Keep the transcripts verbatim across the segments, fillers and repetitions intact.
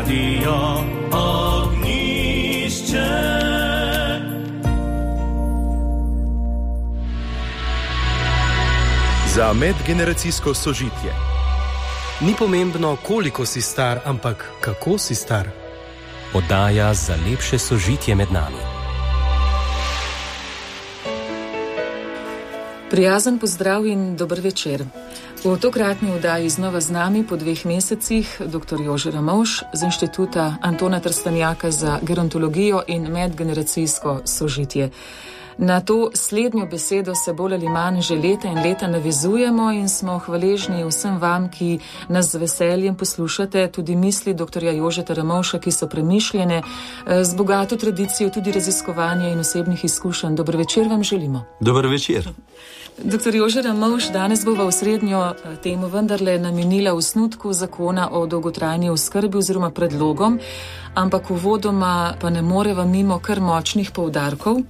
Radio Ognišče. Za medgeneracijsko sožitje. Ni pomembno, koliko si star, ampak kako si star. Oddaja za lepše sožitje med nami. Prijazen pozdrav in dober večer. V tokratni oddaji znova z nami po dveh mesecih dr. Jože Ramovš z Inštituta Antona Trstenjaka za gerontologijo in medgeneracijsko sožitje. Na to slednjo besedo se bolj ali manj že leta in leta navezujemo in smo hvaležni vsem vam, ki nas z veseljem poslušate, tudi misli dr. Jožeta Ramovša, ki so premišljene, z bogato tradicijo tudi raziskovanja in osebnih izkušenj. Dober večer vam želimo. Dober večer. doktor Jože Ramovš, danes bova v srednjo temu vendarle namenila osnutku zakona o dolgotrajni oskrbi oziroma predlogom, ampak uvodoma pa ne moreva mimo kar močnih poudarkov.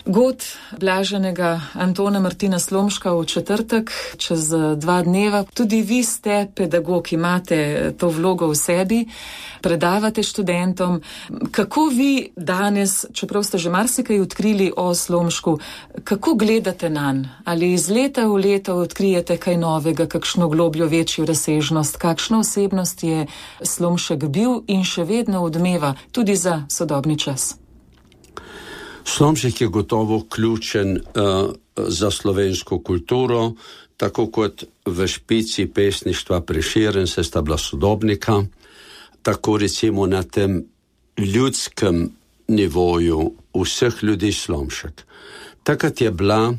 God blaženega Antona Martina Slomška v četrtek, čez dva dneva. Tudi vi ste pedagog, imate to vlogo v sebi, predavate študentom. Kako vi danes, čeprav ste že marsikaj odkrili o Slomšku, kako gledate nanj? Ali iz leta v leto odkrijete kaj novega, kakšno globljo, večjo razsežnost, kakšna osebnost je Slomšek bil in še vedno odmeva tudi za sodobni čas? Slomšek je gotovo ključen uh, za slovensko kulturo, tako kot v špici pesništva Prešeren se sta bila sodobnika, tako recimo na tem ljudskem nivoju vseh ljudi Slomšek. Takrat je bila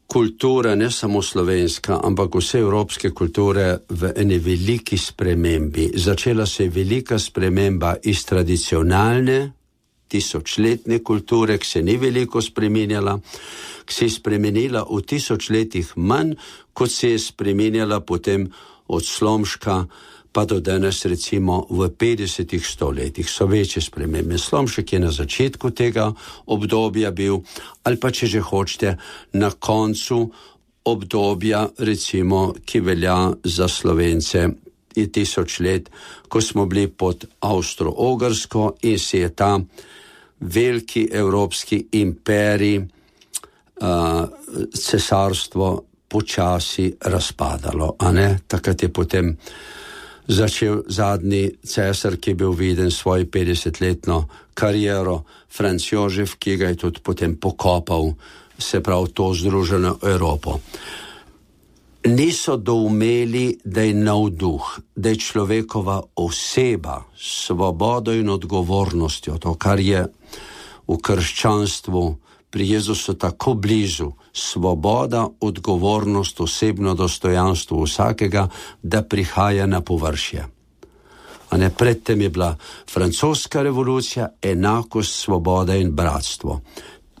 kultura ne samo slovenska, ampak vse evropske kulture v eni veliki spremembi. Začela se je velika sprememba iz tradicionalne tisočletne kulture, ki se ni veliko spremenjala, ki se je spremenila v tisočletjih manj, kot se je spremenjala potem od Slomška pa do danes recimo v petdesetih stoletjih. So večje spremembe. Slomšek je na začetku tega obdobja bil, ali pa če že hočete, na koncu obdobja, recimo, ki velja za Slovence je tisoč let, ko smo bili pod Avstro-Ogrsko in se je ta veliki evropski imperij, uh, cesarstvo počasi razpadalo, a ne? Takrat je potem začel zadnji cesar, ki je bil viden svojo petdesetletno kariero, Franc Jožef, ki ga je tudi potem pokopal, se pravi to združeno Evropo. Niso doumeli, da je navduh, da je človekova oseba s svobodo in odgovornostjo, to, kar je v krščanstvu pri Jezusu tako blizu, svoboda, odgovornost, osebno dostojanstvo vsakega, da prihaja na površje. A ne, predtem je bila francoska revolucija, enakost, svoboda in bratstvo.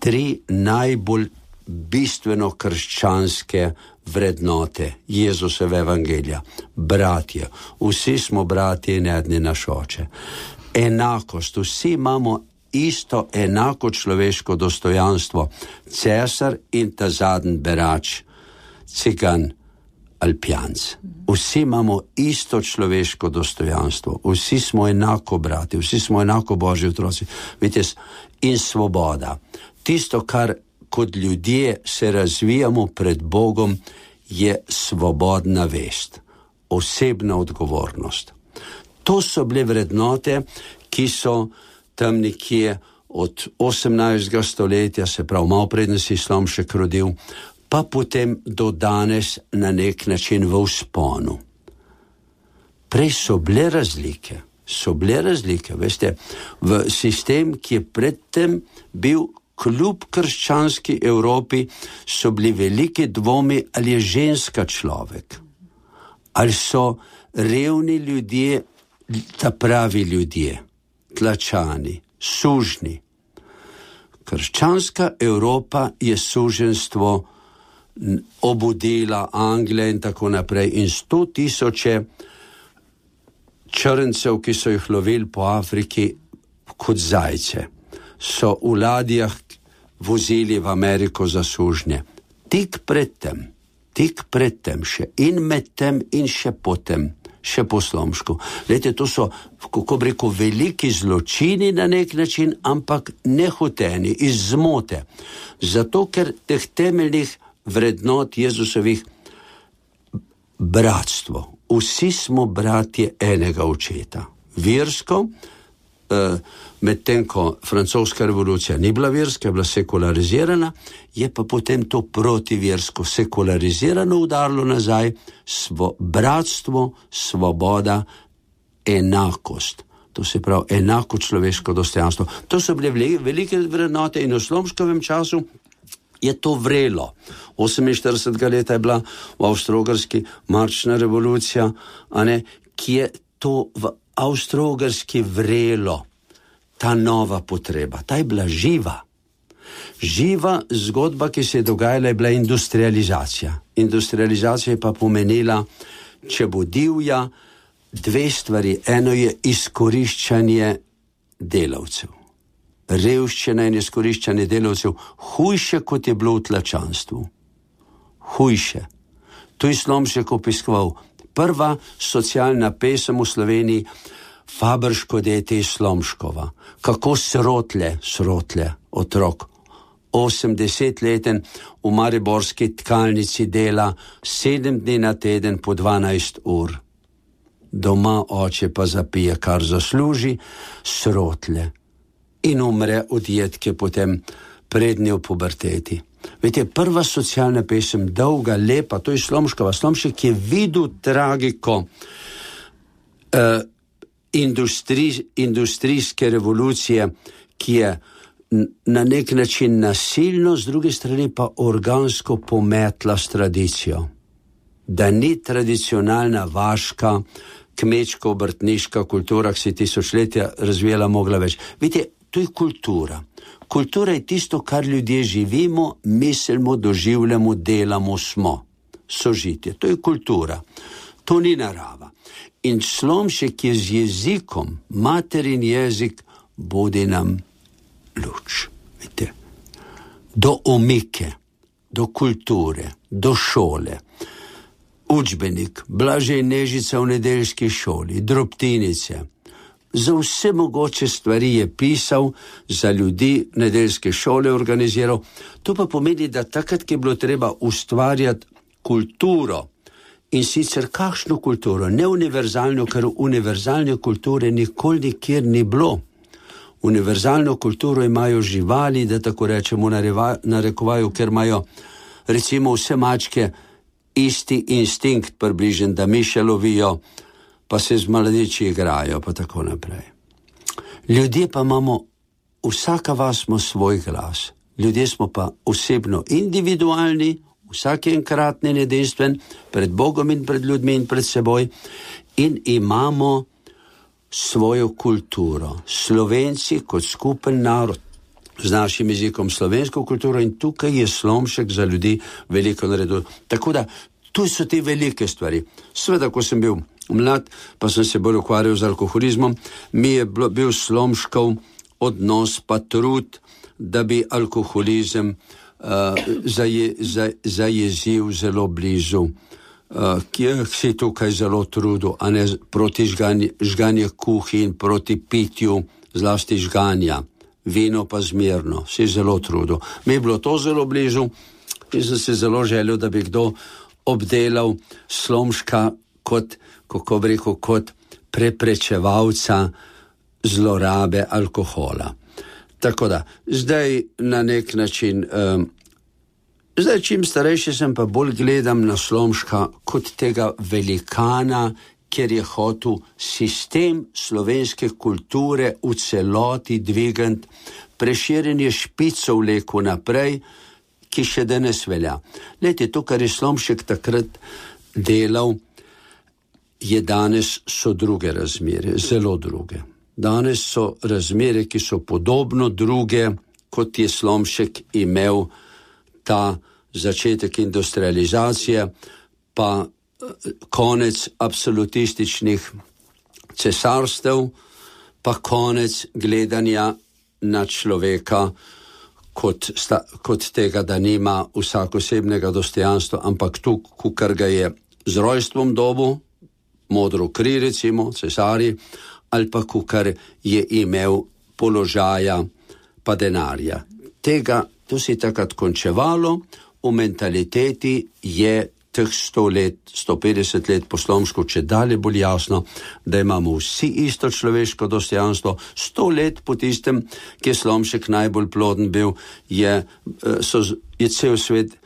Tri najbolj bistveno krščanske vrednote Jezusove evangelija. Bratje, vsi smo bratje in eden naš oče. Enakost, vsi imamo isto enako človeško dostojanstvo. Cesar in ta zadnji berač, cigan ali pijanec. Vsi imamo isto človeško dostojanstvo. Vsi smo enako brati, vsi smo enako Božji otroci. Vidite, in svoboda. Tisto, kar kot ljudje se razvijamo pred Bogom, je svobodna vest, osebna odgovornost. To so bile vrednote, ki so tam nekje od osemnajstega stoletja, se pravi malo preden se je Slomšek rodil, pa potem do danes na nek način v vzponu. Prej so bile razlike, so bile razlike, veste, v sistem, ki je predtem bil kljub krščanski Evropi, so bili veliki dvomi, ali je ženska človek, ali so revni ljudje, ta pravi ljudje, tlačani, sužni. Krščanska Evropa je suženstvo obudila, Anglija in tako naprej, in sto tisoče črncev, ki so jih lovili po Afriki kot zajce, so v ladjah vozili v Ameriko za sužnje. Tik predtem, tik predtem še in medtem in še potem še po slomšku. Lejte, to so, kako bi rekel, veliki zločini na nek način, ampak nehoteni, iz zmote. Zato, ker teh temeljnih vrednot Jezusovih bratstvo. Vsi smo bratje enega očeta. Versko, medtem ko francoska revolucija ni bila verska, je bila sekularizirana, je pa potem to protiversko sekularizirano udarilo nazaj, svo, bratstvo, svoboda, enakost. To se pravi enako človeško dostojanstvo. To so bile velike vrednote in v slomškovem času je to vrelo. oseminštiridesetega leta je bila v Avstro-Ogrski marčna revolucija, a ne, ki je to v Avstro-Ogrski vrelo, ta nova potreba, ta je bila živa. Živa zgodba, ki se je dogajala, je bila industrializacija. Industrializacija je pa pomenila, če bo divja, dve stvari. Eno je izkoriščanje delavcev. Revščina in izkoriščanje delavcev, hujše, kot je bilo v tlačanstvu. Hujše. To je Slomšek opiskoval. Prva socialna pesem v Sloveniji, Fabrško dete iz Slomškova. Kako srotle, srotle, otrok, osemdesetleten v mariborski tkalnici dela sedem dni na teden po dvanajst ur. Doma oče pa zapije, kar zasluži, srotle. In umre od jedke potem prednje v puberteti. Vete, prva socialna pesem, dolga, lepa, to je Slomškova. Slomšek je videl tragiko uh, industri, industrijske revolucije, ki je na nek način nasilno, z druge strani pa organsko pometla s tradicijo. Da ni tradicionalna vaška, kmečko-obrtniška kultura, ki se tisočletja razvijala, mogla več. Vidite, to je kultura. Kultura je tisto, kar ljudje živimo, mislimo, doživljamo, delamo, smo. Sožitje. To je kultura. To ni narava. In Slomšek je z jezikom, materin jezik, bodi nam luč. Vidite? Do omike, do kulture, do šole. Učbenik, Blažej Nežica v nedeljski šoli, drobtinice. Za vse mogoče stvari je pisal, za ljudi nedeljske šole organiziral. To pa pomeni, da takrat, ki je bilo treba ustvarjati kulturo, in sicer kakšno kulturo, ne univerzalno, ker univerzalne kulture nikoli nikjer ni bilo. Univerzalno kulturo imajo živali, da tako rečemo, narekovajo, ker imajo recimo vse mačke isti instinkt približen, da miše lovijo, pa se z mladiči igrajo, pa tako naprej. Ljudje pa imamo, vsaka vas ima svoj glas. Ljudje smo pa osebno individualni, vsak je enkratni, edinstven, pred Bogom in pred ljudmi in pred seboj, in imamo svojo kulturo. Slovenci kot skupen narod, z našim jezikom slovensko kulturo, in tukaj je Slomšek za ljudi veliko naredil. Tako da, tu so te velike stvari. Sveda, ko sem bil mlad, pa sem se bolj ukvarjal z alkoholizmom, mi je bil Slomškov odnos pa trud, da bi alkoholizem uh, zaje, za, zajezil zelo blizu, uh, ki si tukaj zelo trudil, a ne proti žganje, žganje kuhin, proti pitju, zlasti žganja. Vino pa zmerno, si zelo trudil. Mi je bilo to zelo blizu in sem se zelo želel, da bi kdo obdelal Slomška kot, kako bi rekel, kot preprečevalca zlorabe alkohola. Tako da, zdaj na nek način, um, zdaj čim starejši sem, pa bolj gledam na Slomška kot tega velikana, ker je hotel sistem slovenske kulture v celoti dvigant, Prešeren je špico vlekel naprej, ki še danes velja. Lejte, to, kar je Slomšek takrat delal, je danes so druge razmere, zelo druge. Danes so razmere, ki so podobno druge, kot je Slomšek imel ta začetek industrializacije, pa konec absolutističnih cesarstev, pa konec gledanja na človeka kot, sta, kot tega, da nima vsak osebnega dostojanstva, ampak tu, kar ga je z rojstvom dobu, modro kri, recimo, cesari, ali pa kukar je imel položaja pa denarja. Tega, to se je takrat končevalo, v mentaliteti je teh sto let, sto petdeset let po slomšku, če dalje bolj jasno, da imamo vsi isto človeško dostojanstvo. Sto let po tistem, ki je Slomšek najbolj ploden bil, je, so, je cel svet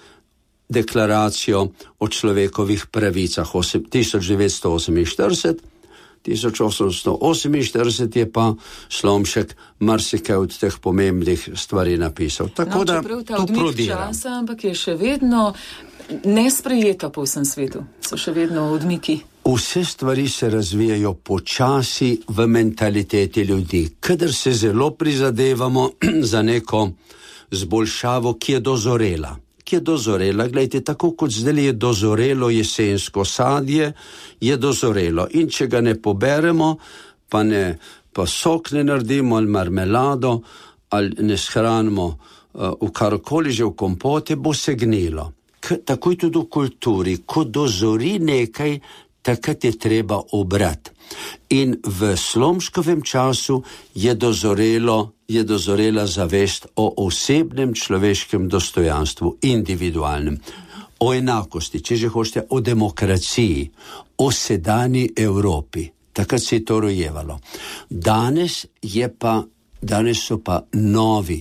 deklaracijo o človekovih pravicah tisoč devetsto oseminštirideset, tisoč osemsto oseminštirideset je pa Slomšek marsikaj od teh pomembnih stvari napisal. Tako no, da to prodira. Časa, ampak je še vedno nesprejeta po vsem svetu. So še vedno odmiki. Vse stvari se razvijajo počasi v mentaliteti ljudi. Kadar se zelo prizadevamo za neko zboljšavo, ki je dozorela. Ki je dozorela, gledajte, tako kot zdaj je dozorelo jesensko sadje, je dozorelo. In če ga ne poberemo, pa, ne, pa sok ne naredimo, ali marmelado, ali ne shranimo uh, v karkoli že v kompote, bo se gnilo. K, tako je tudi v kulturi. Ko dozori nekaj, takrat je treba obrati. In v Slomškovem času je dozorelo je dozorela zavest o osebnem človeškem dostojanstvu, individualnem, o enakosti, če že hočete, o demokraciji, o sedanji Evropi. Takrat se je to rojevalo. Danes je pa, danes so pa novi,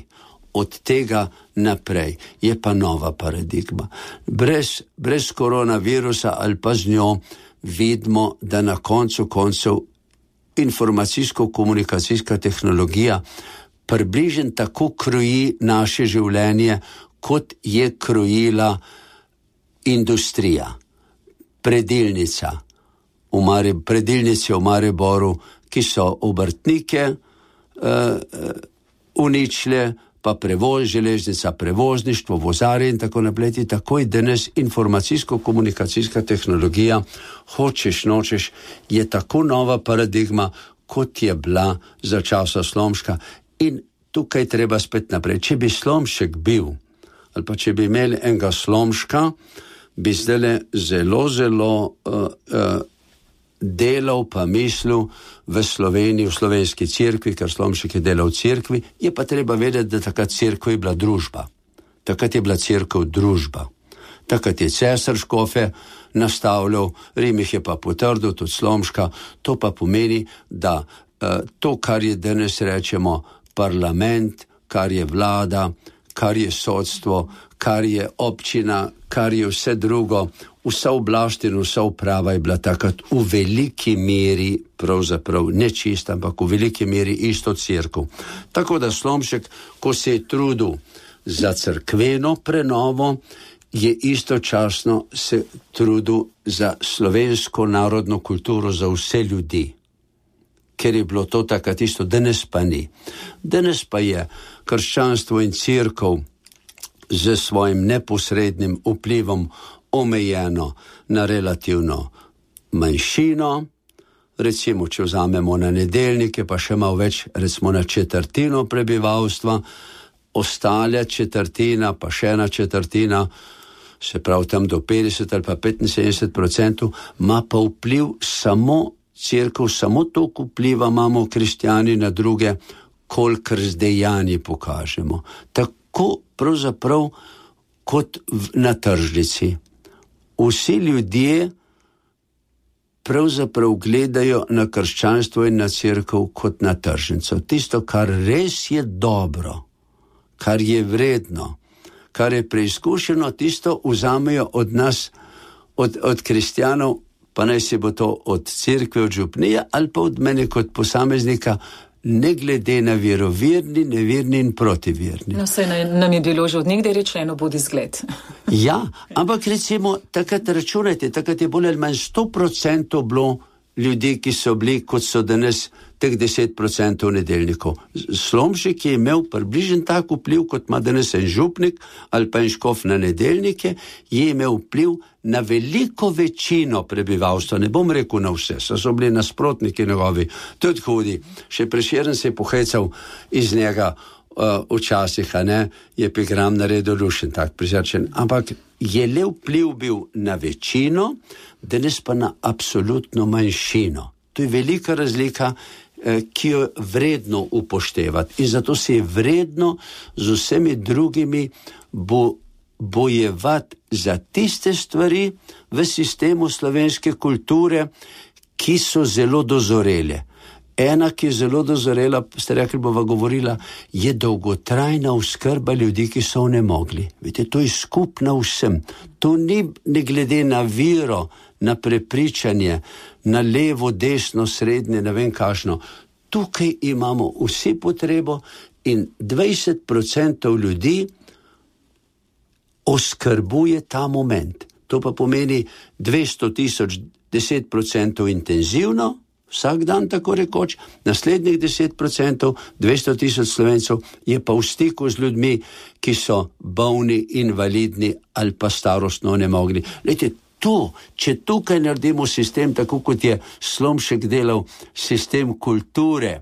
od tega naprej je pa nova paradigma. Brez, brez koronavirusa ali pa z njo vidimo, da na koncu koncev informacijsko-komunikacijska tehnologija približno tako kroji naše življenje, kot je krojila industrija. Predilnica, v Mare, predilnice v Mariboru, ki so obrtnike uh, uničile, pa prevoz, železnica, prevozništvo, vozare in tako naprej. Tako je danes informacijsko-komunikacijska tehnologija, hočeš, nočeš, je tako nova paradigma, kot je bila za časa Slomška. In tukaj treba spet naprej. Če bi Slomšek bil, ali pa če bi imeli enega Slomška, bi zdaj zelo, zelo uh, uh, delal pa mislil v Sloveniji, v slovenski cerkvi, ker Slomšek je delal v cerkvi, je pa treba vedeti, da takrat cerkev je bila družba. Takrat je bila cerkev družba. Takrat je cesar škofe nastavljal, Rim jih je pa potrdil, tudi Slomška. To pa pomeni, da uh, to, kar je danes rečemo parlament, kar je vlada, kar je sodstvo, kar je občina, kar je vse drugo, vsa oblast in vsa uprava je bila takrat v veliki meri, pravzaprav ne čista, ampak v veliki meri isto cerkev. Tako da Slomšek, ko se je trudil za cerkveno prenovo, je istočasno se trudil za slovensko narodno kulturo, za vse ljudi. Ker je bilo to takrat isto, danes pa ni. Danes pa je krščanstvo in cerkev z svojim neposrednim vplivom omejeno na relativno manjšino, recimo, če vzamemo na nedeljnike, pa še malo več, recimo na četrtino prebivalstva, ostale četrtina, pa še ena četrtina, se pravi tam do petdeset ali pa petinsedemdeset procentov, ima pa vpliv samo cerkev, samo toliko vpliva imamo kristjani na druge, kolikor z dejanji pokažemo. Tako pravzaprav kot v, na tržnici. Vsi ljudje pravzaprav gledajo na krščanstvo in na cerkev kot na tržnico. Tisto, kar res je dobro, kar je vredno, kar je preizkušeno, tisto vzamejo od nas, od, od kristjanov, pa naj se bo to od cerkve, od župnije ali pa od mene kot posameznika, ne glede na veroverni, neverni in protiverni. No, saj nam je bilo že od nekdaj rečeno, bodi zgled. Ja, ampak recimo, takrat računajte, takrat je bolj ali manj sto procentov bilo ljudi, ki so bili, kot so danes teh deset procentov nedeljnikov. Slomšek je imel približen tak vpliv, kot ima danes en župnik ali pa en škof na nedeljnike, je imel vpliv na veliko večino prebivalstva, ne bom rekel na vse, so, so bili nasprotniki njegovi, tudi hudi. Še Prešeren se je pohecal iz njega uh, včasih, a ne, je epigram naredil lušen, tak prizračen, ampak je le vpliv bil na večino, danes pa na absolutno manjšino. To je velika razlika, ki jo vredno upoštevati. In zato se je vredno z vsemi drugimi bo, bojevati za tiste stvari v sistemu slovenske kulture, ki so zelo dozorele. Ena, ki je zelo dozorela, ste rekli, bova govorila, je dolgotrajna oskrba ljudi, ki so onemogli. Vidite, to je skupno vsem. To ni ne glede na vero, na prepričanje, na levo, desno, srednje, ne vem kakšno. Tukaj imamo vsi potrebo in dvajset procentov ljudi oskrbuje ta moment. To pa pomeni dvesto tisoč, deset procentov intenzivno, vsak dan tako rekoč, naslednjih deset procentov, dvesto tisoč Slovencev je pa v stiku z ljudmi, ki so bolni, invalidni ali pa starostno onemogli. Lejte, to, če tukaj naredimo sistem, tako kot je Slomšek delal sistem kulture,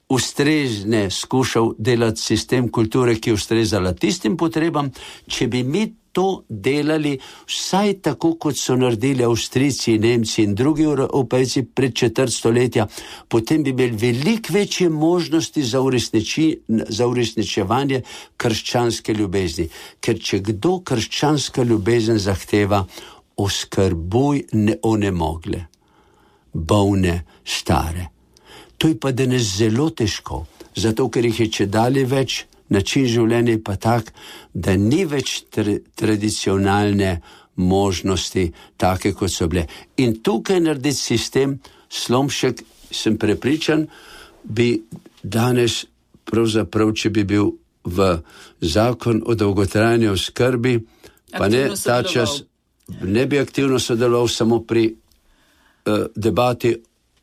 ustrezne skušal delati sistem kulture, ki je ustrezala tistim potrebam, če bi mi to delali vsaj tako, kot so naredili Avstrijci, Nemci in drugi Evropejci pred četrt stoletja, potem bi imeli veliko večje možnosti za, uresniči, za uresničevanje krščanske ljubezni. Ker če kdo krščanska ljubezen zahteva, oskrbuj neonemogle, bolne, stare. To je pa danes zelo težko, zato ker jih je čedalje več, način življenja je pa tak, da ni več tra- tradicionalne možnosti take, kot so bile. In tukaj narediti sistem, Slomšek, sem prepričan, bi danes pravzaprav, če bi bil v zakon o dolgotrajni oskrbi, pa ne ta čas, ne bi aktivno sodeloval samo pri uh, debati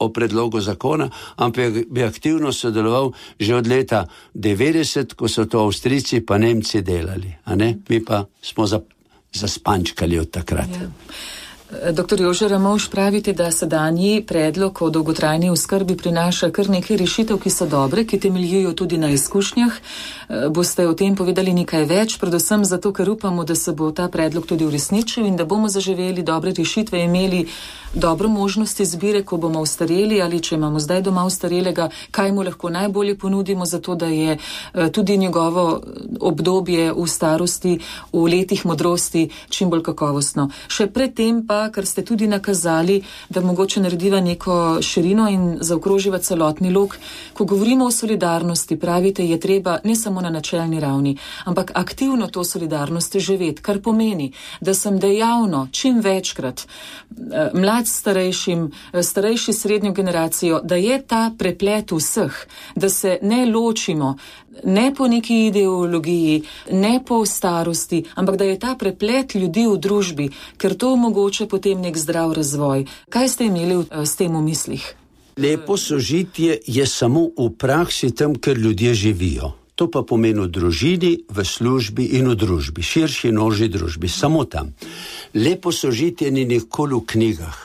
o predlogu zakona, ampak bi aktivno sodeloval že od leta devetdeset, ko so to Avstrijci pa Nemci delali, a ne? Mi pa smo zaspančkali od takrat. Ja. Doktor Jože Ramovš, pravite, da sedanji predlog o dolgotrajni oskrbi prinaša kar nekaj rešitev, ki so dobre, ki temeljijo tudi na izkušnjah. Boste o tem povedali nekaj več, predvsem zato, ker upamo, da se bo ta predlog tudi uresničil in da bomo zaživeli dobre rešitve, imeli dobro možnost izbire, ko bomo ustareli ali če imamo zdaj doma ustarelega, kaj mu lahko najbolje ponudimo, zato da je tudi njegovo obdobje v starosti, v letih modrosti čim bolj kakovostno. Še predtem pa, ker ste tudi nakazali, da mogoče narediva neko širino in zaokroživa celotni lok. Ko govorimo o solidarnosti, pravite, je treba ne samo na načelni ravni, ampak aktivno to solidarnost živeti, kar pomeni, da sem dejavno čim večkrat mlad starejšim, starejši srednjo generacijo, da je ta preplet vseh, da se ne ločimo, ne po neki ideologiji, ne po starosti, ampak da je ta preplet ljudi v družbi, ker to omogoča potem nek zdrav razvoj. Kaj ste imeli s tem v mislih? Lepo sožitje je samo v praksi tam, ker ljudje živijo. To pa pomeni v družini, v službi in v družbi, širši in ožji družbi, samo tam. Lepo sožitje ni nikoli v knjigah.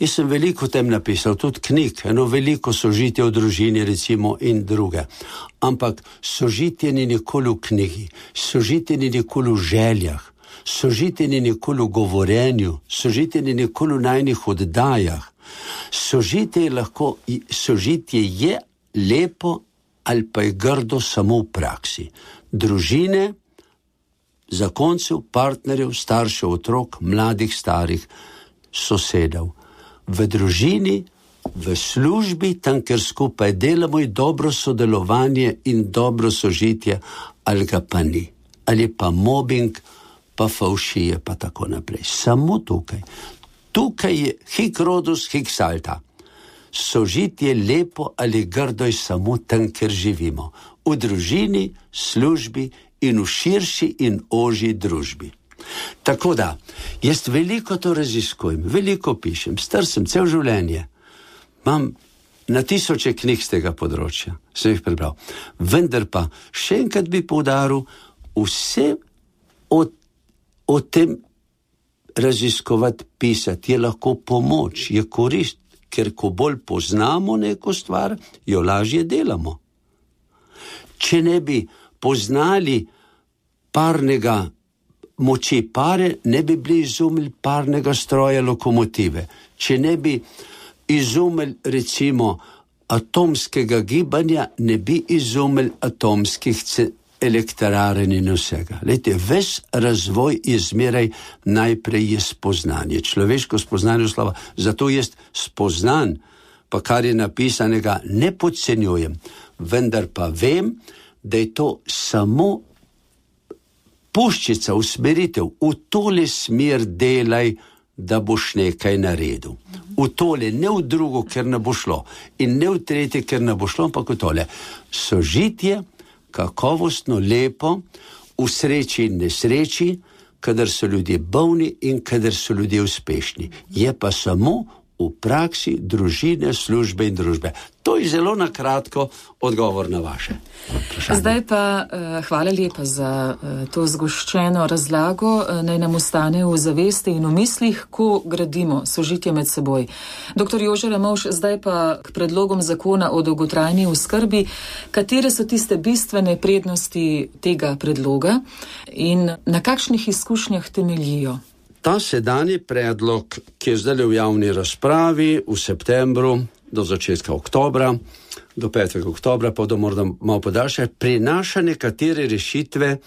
Jaz sem veliko tem napisal, tudi knjig, eno veliko sožitje v družini, recimo, in druge. Ampak sožitje ni nikoli v knjigi, sožitje ni nikoli v željah, sožitje ni nikoli v govorenju, sožitje ni nikoli v najnih oddajah. Sožitje je lahko, sožitje je lepo ali pa je grdo samo v praksi. Družine, zakoncev, partnerjev, staršev, otrok, mladih, starih, sosedov. V družini, v službi, tam, ker skupaj delamo, je dobro sodelovanje in dobro sožitje, ali ga pa ni. Ali pa mobbing, pa favšije, pa tako naprej. Samo tukaj. Tukaj je hic rodus, hic salta. Sožitje lepo ali grdo je samo tam, ker živimo. V družini, službi in v širši in ožji družbi. Tako da, jaz veliko to raziskujem, veliko pišem, star sem cel življenje. Imam na tisoče knjig z tega področja, sem jih prebral. Vendar pa, še enkrat bi poudaril, vse o, o tem raziskovati, pisati je lahko pomoč, je korist, ker ko bolj poznamo neko stvar, jo lažje delamo. Če ne bi poznali parnega moči pare, ne bi bili izumili parnega stroja lokomotive. Če ne bi izumili recimo atomskega gibanja, ne bi izumili atomskih elektrarn in vsega. Lejte, ves razvoj je zmeraj najprej je spoznanje. Človeško spoznanje slova. Zato jaz spoznan, pa kar je napisanega, ne podcenjujem, vendar pa vem, da je to samo puščica, usmeritev, v tole smer delaj, da boš nekaj naredil. V tole, ne v drugo, ker ne bo šlo. In ne v tretje, ker ne bo šlo, ampak v tole. Sožitje, kakovostno, lepo, v sreči in nesreči, kadar so ljudje bolni in kadar so ljudje uspešni. Je pa samo v praksi družine, službe in družbe. To je zelo na kratko odgovor na vaše vprašanje. Zdaj pa uh, hvala lepa za uh, to zgoščeno razlago. Uh, naj nam ostane v zavesti in v mislih, ko gradimo sožitje med seboj. Doktor Jože Ramovš, zdaj pa k predlogom zakona o dolgotrajni oskrbi. Katere so tiste bistvene prednosti tega predloga in na kakšnih izkušnjah temeljijo? Ta sedanji predlog, ki je zdaj v javni razpravi v septembru do začetka oktobra, do petega oktobra, pa do morda malo podaljša, prinaša nekatere rešitve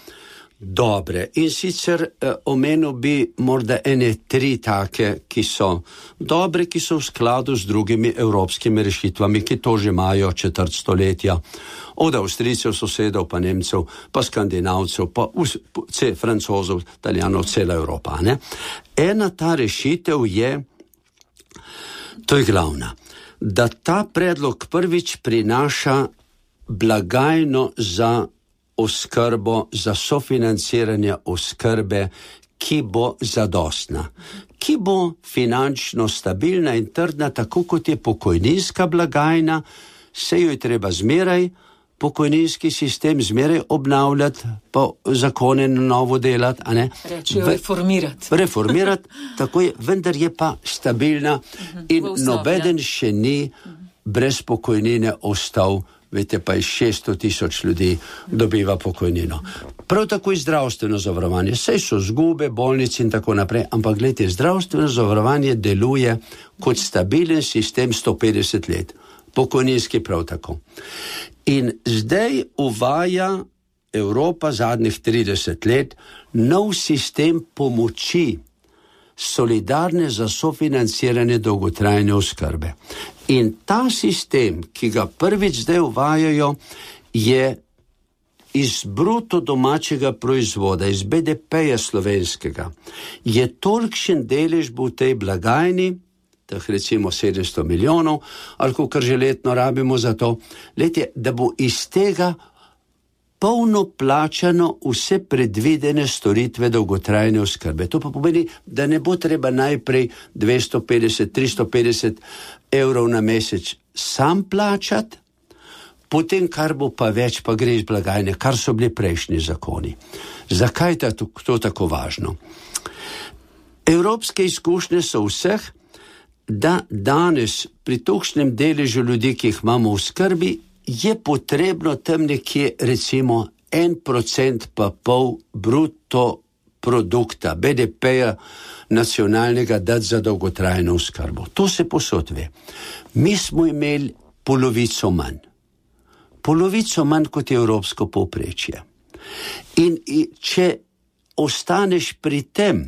dobre. In sicer eh, omenil bi morda ene tri take, ki so dobre, ki so v skladu z drugimi evropskimi rešitvami, ki to že imajo četrt stoletja. Od Avstrijcev, sosedov, pa Nemcev, pa Skandinavcev, pa vse Francozov, Italijanov, cela Evropa. Ne? Ena ta rešitev je, to je glavna, da ta predlog prvič prinaša blagajno za oskrbo, za sofinanciranje oskrbe, ki bo zadostna, ki bo finančno stabilna in trdna, tako kot je pokojninska blagajna, se jo je treba zmeraj pokojninski sistem zmeraj obnavljati, pa zakone na novo delati, a ne? Rečijo reformirati. Reformirati, tako je, vendar je pa stabilna in nobeden še ni brez pokojnine ostal, veste pa je šeststo tisoč ljudi dobiva pokojnino. Prav tako je zdravstveno zavarovanje, saj so zgube, bolnice in tako naprej, ampak gledajte, zdravstveno zavarovanje deluje kot stabilen sistem sto petdeset let. Pokojninski prav tako. In zdaj uvaja Evropa zadnjih trideset let nov sistem pomoči, solidarne za sofinanciranje dolgotrajne oskrbe. In ta sistem, ki ga prvič zdaj uvajajo, je iz bruto domačega proizvoda, iz be de peja slovenskega, je tolikšen delež bo v tej blagajni, teh recimo sedemsto milijonov, ali kar že letno rabimo za to, letje, da bo iz tega polno plačano vse predvidene storitve dolgotrajne oskrbe. To pa pomeni, da ne bo treba najprej dvesto petdeset, tristo petdeset evrov na mesec sam plačati, potem kar bo pa več, pa gre iz blagajne, kar so bili prejšnji zakoni. Zakaj je to, to tako važno? Evropske izkušnje so vseh, da danes pri tolikšnem deležu ljudi, ki jih imamo v skrbi, je potrebno tam nekje recimo en procent pa pol bruto produkta, be de peja nacionalnega dati za dolgotrajno oskrbo. To se posod ve. Mi smo imeli polovico manj. Polovico manj kot je evropsko povprečje. In če ostaneš pri tem,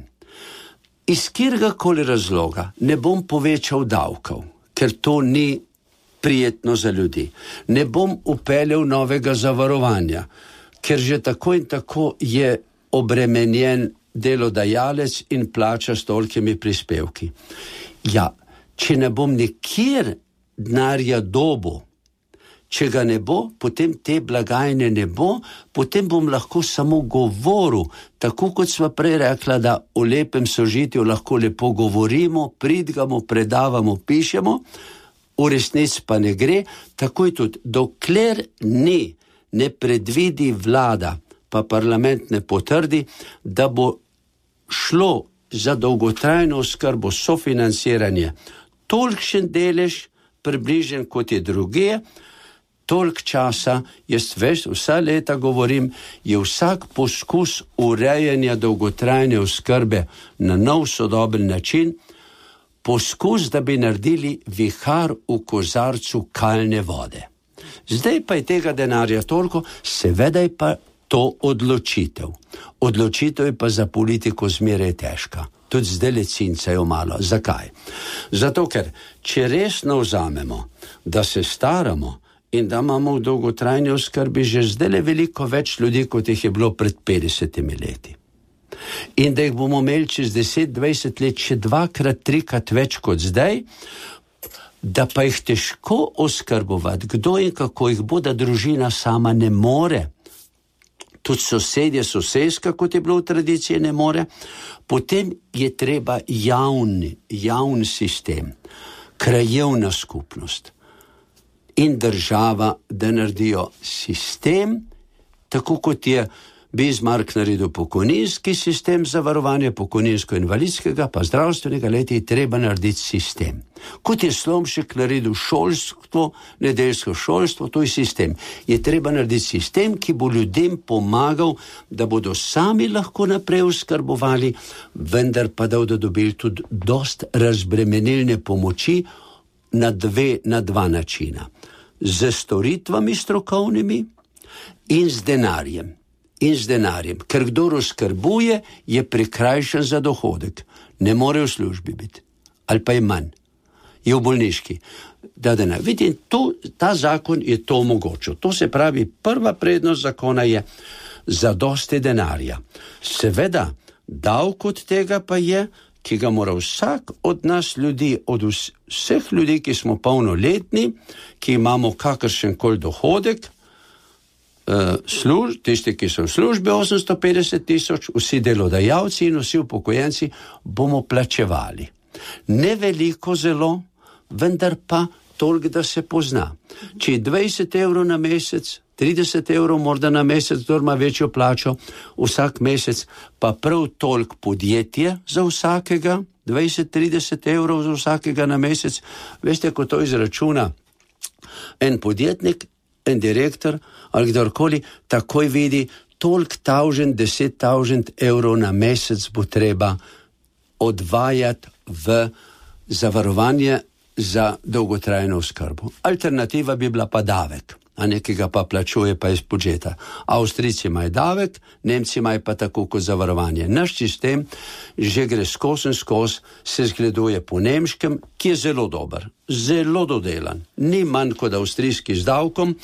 iz katerega razloga ne bom povečal davkov, ker to ni prijetno za ljudi. Ne bom upeljal novega zavarovanja, ker že tako in tako je obremenjen delodajalec in plača s tolikimi prispevki. Ja, če ne bom nikjer denarja dobil, če ga ne bo, potem te blagajne ne bo, potem bom lahko samo govoril, tako kot sva prej rekla, da o lepem sožitju lahko lepo govorimo, pridgamo, predavamo, pišemo, v resnici pa ne gre, tako je tudi, dokler ni, ne predvidi vlada, pa parlament ne potrdi, da bo šlo za dolgotrajno oskrbo, sofinanciranje, tolikšen delež, približen kot je druge, toliko časa, jaz veš, vsa leta govorim, je vsak poskus urejanja dolgotrajne oskrbe na nov sodoben način, poskus, da bi naredili vihar v kozarcu kalne vode. Zdaj pa je tega denarja toliko, seveda je pa to odločitev. Odločitev je pa za politiko zmeraj težka. Tudi zdaj le cincajo malo. Zakaj? Zato, ker če resno vzamemo, da se staramo in da imamo v dolgotrajni oskrbi že zdaj le veliko več ljudi, kot jih je bilo pred petdesetimi leti. In da jih bomo imeli čez deset, dvajset let še dvakrat, trikrat več kot zdaj, da pa jih težko oskrbovati, kdo in kako jih bo, da družina sama ne more. Tudi sosedje, soseska, kot je bilo v tradiciji, ne more. Potem je treba javni, javni sistem, krajevna skupnost in država, da naredijo sistem, tako kot je Bismarck naredil pokojninski sistem za varovanje pokojninsko-invalidskega, pa zdravstvenega leta je treba narediti sistem. Kot je Slomšek naredil šolstvo, nedeljsko šolstvo, to je sistem. Je treba narediti sistem, ki bo ljudem pomagal, da bodo sami lahko naprej oskrbovali, vendar pa da bodo dobili tudi dost razbremenilne pomoči na, dve, na dva načina. Z storitvami strokovnimi in z denarjem. In z denarjem, ker kdo oskrbuje, je prikrajšan za dohodek. Ne more v službi biti. Ali pa je manj. Je v bolniški. Da, da ne. Vidite, to, ta zakon je to omogočil. To se pravi, prva prednost zakona je zadosti denarja. Seveda, davek od tega pa je, ki ga mora vsak od nas ljudi, od vseh ljudi, ki smo polnoletni, ki imamo kakršenkoli dohodek, Uh, služ, tisti, ki so v službi osemsto petdeset tisoč, vsi delodajalci in vsi upokojenci bomo plačevali. Ne veliko zelo, vendar pa toliko, da se pozna. Če je dvajset evrov na mesec, trideset evrov morda na mesec, kdo ima večjo plačo, vsak mesec pa prav toliko podjetje za vsakega, dvajset trideset evrov za vsakega na mesec. Veste, ko to izračuna en podjetnik, en direktor ali kdorkoli, takoj vidi, toliko tavžen, deset tavžen evrov na mesec bo treba odvajati v zavarovanje za dolgotrajno oskrbo. Alternativa bi bila pa davek, a nekega pa plačuje pa iz budžeta. Avstrijci imajo davek, Nemci imajo pa tako kot zavarovanje. Naš sistem že gre skozi in skozi, se zgleduje po nemškem, ki je zelo dober, zelo dodelan. Ni manj kot avstrijski z davkom,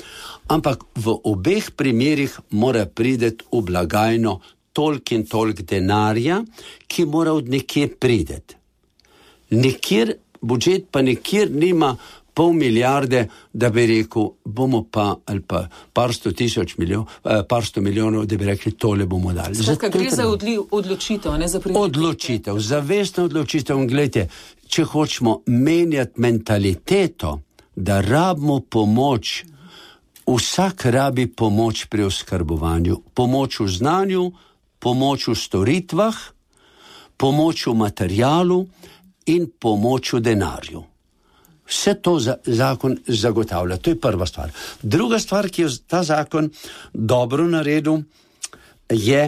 ampak v obeh primerih mora priti v blagajno toliko in toliko denarja, ki mora od nekje priti. Nekjer, budžet pa nekjer nima pol milijarde, da bi rekel, bomo pa, ali pa par sto tisoč milijonov, par sto milijonov, da bi rekli, tole bomo dali. Skratka, gre za odli, odločitev, ne za prioritet. Odločitev, zavestno odločitev. In gledajte, če hočemo menjati mentaliteto, da rabimo pomoč, vsak rabi pomoč pri oskrbovanju, pomoč v znanju, pomoč v storitvah, pomoč v materialu in pomoč v denarju. Vse to za, zakon zagotavlja. To je prva stvar. Druga stvar, ki je ta zakon dobro naredil, je,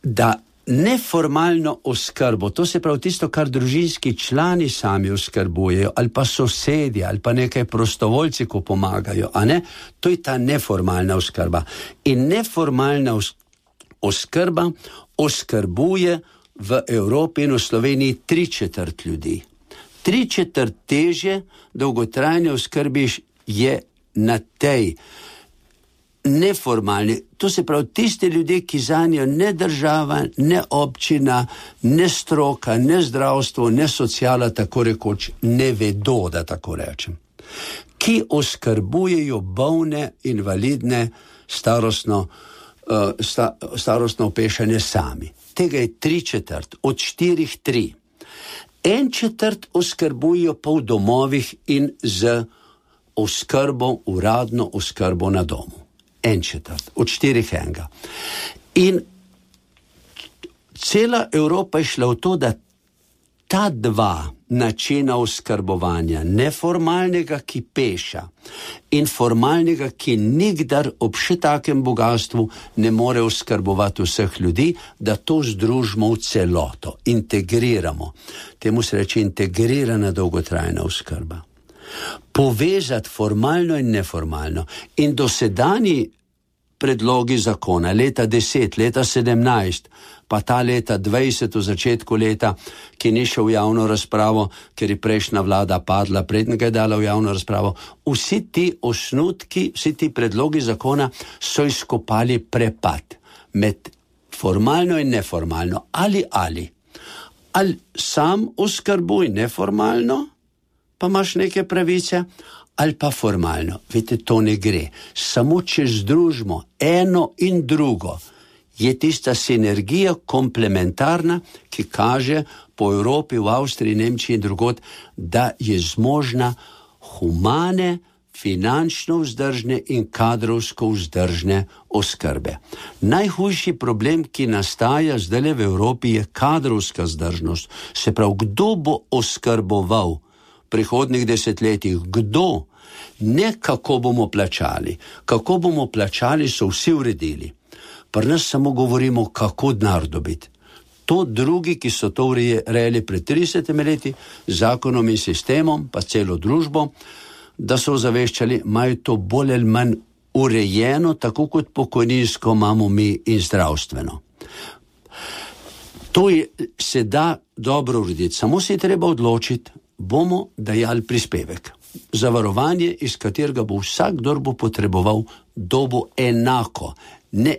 da neformalno oskrbo, to se pravi tisto, kar družinski člani sami oskrbujejo, ali pa sosedje, ali pa nekaj prostovoljci, ko pomagajo, a ne? To je ta neformalna oskrba. In neformalna oskrba oskrbuje v Evropi in v Sloveniji tri četrt ljudi. Tri četrt težje dolgotrajne oskrbi je na tej neformalni. To se pravi, tiste ljudje, ki zanjo ne država, ne občina, ne stroka, ne zdravstvo, ne sociala, tako rekoč, ne vedo, da tako rečem. Ki oskrbujejo bolne, invalidne, starostno, uh, sta, starostno opešane sami. Tega je tri četrt, od štirih tri. En četrt oskrbujo pa v domovih in z oskrbo, uradno oskrbo na domu. En četrt, od štirih enega. In cela Evropa je šla v to, da ta dva načina oskrbovanja, neformalnega, ki peša, in formalnega, ki nikdar ob še takem bogatstvu ne more oskrbovati vseh ljudi, da to združimo v celoto, integriramo. Temu se reče integrirana dolgotrajna oskrba. Povezati formalno in neformalno. In dosedanji predlogi zakona, leta deset, leta sedemnajst, pa ta leta dvajset v začetku leta, ki ni šel v javno razpravo, ker je prejšnja vlada padla, prednja ga je dala v javno razpravo, vsi ti osnutki, vsi ti predlogi zakona so izkopali prepad med formalno in neformalno. Ali, ali. Ali sam oskrbuj neformalno, pa imaš neke pravice, ali pa formalno. Veste, to ne gre. Samo če združimo eno in drugo, je tista sinergija komplementarna, ki kaže po Evropi, v Avstriji, Nemčiji in drugod, da je zmožna humane, finančno vzdržne in kadrovsko vzdržne oskrbe. Najhujši problem, ki nastaja zdaj v Evropi, je kadrovska vzdržnost. Se pravi, kdo bo oskrboval prihodnih desetletjih, kdo, ne kako bomo plačali. Kako bomo plačali, so vsi uredili. Pri nas samo govorimo, kako denar dobiti. To drugi, ki so to urejali pred tridesetimi leti, zakonom in sistemom, pa celo družbo, da so zaveščali, imajo to bolj ali manj urejeno, tako kot pokojninsko imamo mi in zdravstveno. To je, se da dobro urediti, samo se je treba odločiti, bomo dajali prispevek. Zavarovanje, iz katerega bo vsak, kdor bo potreboval, dobo enako. Ne,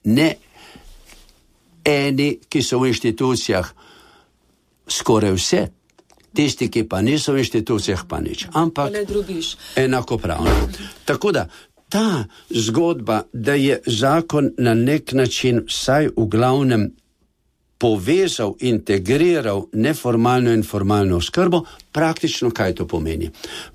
ne eni, ki so v inštitucijah skoraj vse, tisti, ki pa niso v inštitucijah, pa nič. Ampak enakopravno. Tako da, ta zgodba, da je zakon na nek način vsaj v glavnem povezal, integriral neformalno in formalno oskrbo, praktično kaj to pomeni?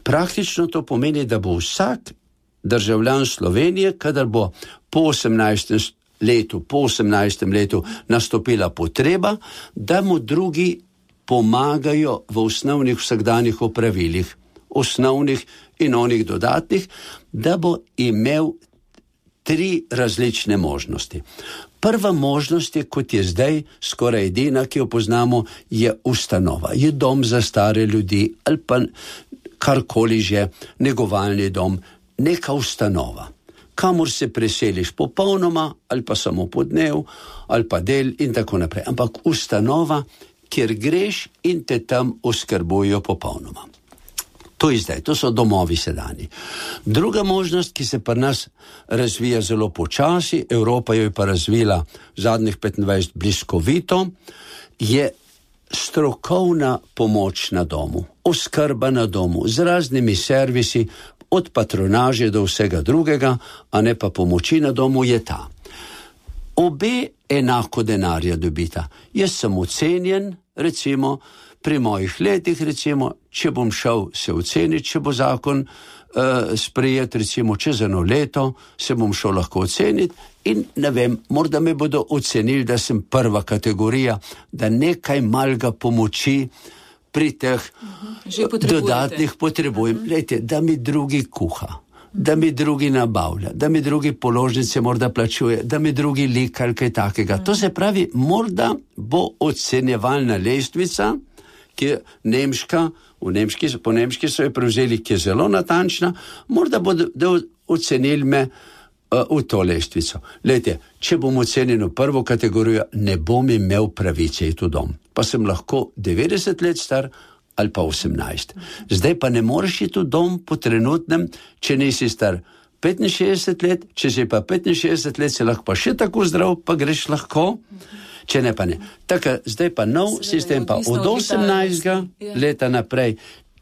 Praktično to pomeni, da bo vsak državljan Slovenije, kadar bo po osemnajstem letu, po osemnajstem letu nastopila potreba, da mu drugi pomagajo v osnovnih vsakdanjih opravilih, osnovnih in onih dodatnih, da bo imel tri različne možnosti. Prva možnost je, kot je zdaj, skoraj edina, ki jo poznamo, je ustanova. Je dom za stare ljudi ali pa karkoli že, negovalni dom, neka ustanova, kamor se preseliš popolnoma ali pa samo po dnev ali pa del in tako naprej. Ampak ustanova, kjer greš in te tam oskrbujo popolnoma. To je zdaj, to so domovi sedani. Druga možnost, ki se pri nas razvija zelo počasi, Evropa jo je pa razvila zadnjih petindvajset bliskovito, je strokovna pomoč na domu, oskrba na domu z raznimi servisi, od patronaže do vsega drugega, a ne pa pomoči na domu, je ta. Obe enako denarja dobita. Jaz sem ocenjen, recimo, pri mojih letih, recimo, če bom šel se oceniti, če bo zakon uh, sprejet, recimo, čez eno leto, se bom šel lahko oceniti in ne vem, morda me bodo ocenili, da sem prva kategorija, da nekaj malega pomoči pri teh uh-huh. dodatnih potrebujem. Uh-huh. Lejte, da mi drugi kuha, da mi drugi nabavlja, da mi drugi položnice morda plačuje, da mi drugi lika ali kaj takega. Uh-huh. To se pravi, morda bo ocenjevalna lestvica, ki je nemška, v nemški, po nemški so jo prevzeli, ki je zelo natančna, morda bodo ocenili me uh, v to lestvico. Lejte, če bom ocenjen v prvo kategorijo, ne bom imel pravice iti v dom. Pa sem lahko devetdeset let star ali pa osemnajst. Zdaj pa ne moreš iti v dom po trenutnem, če nisi star petinšestdeset let, če si pa petinšestdeset let, si lahko pa še tako zdrav, pa greš lahko. Če ne pa ne. Tako, zdaj pa nov sistem pa od osemnajstega leta naprej.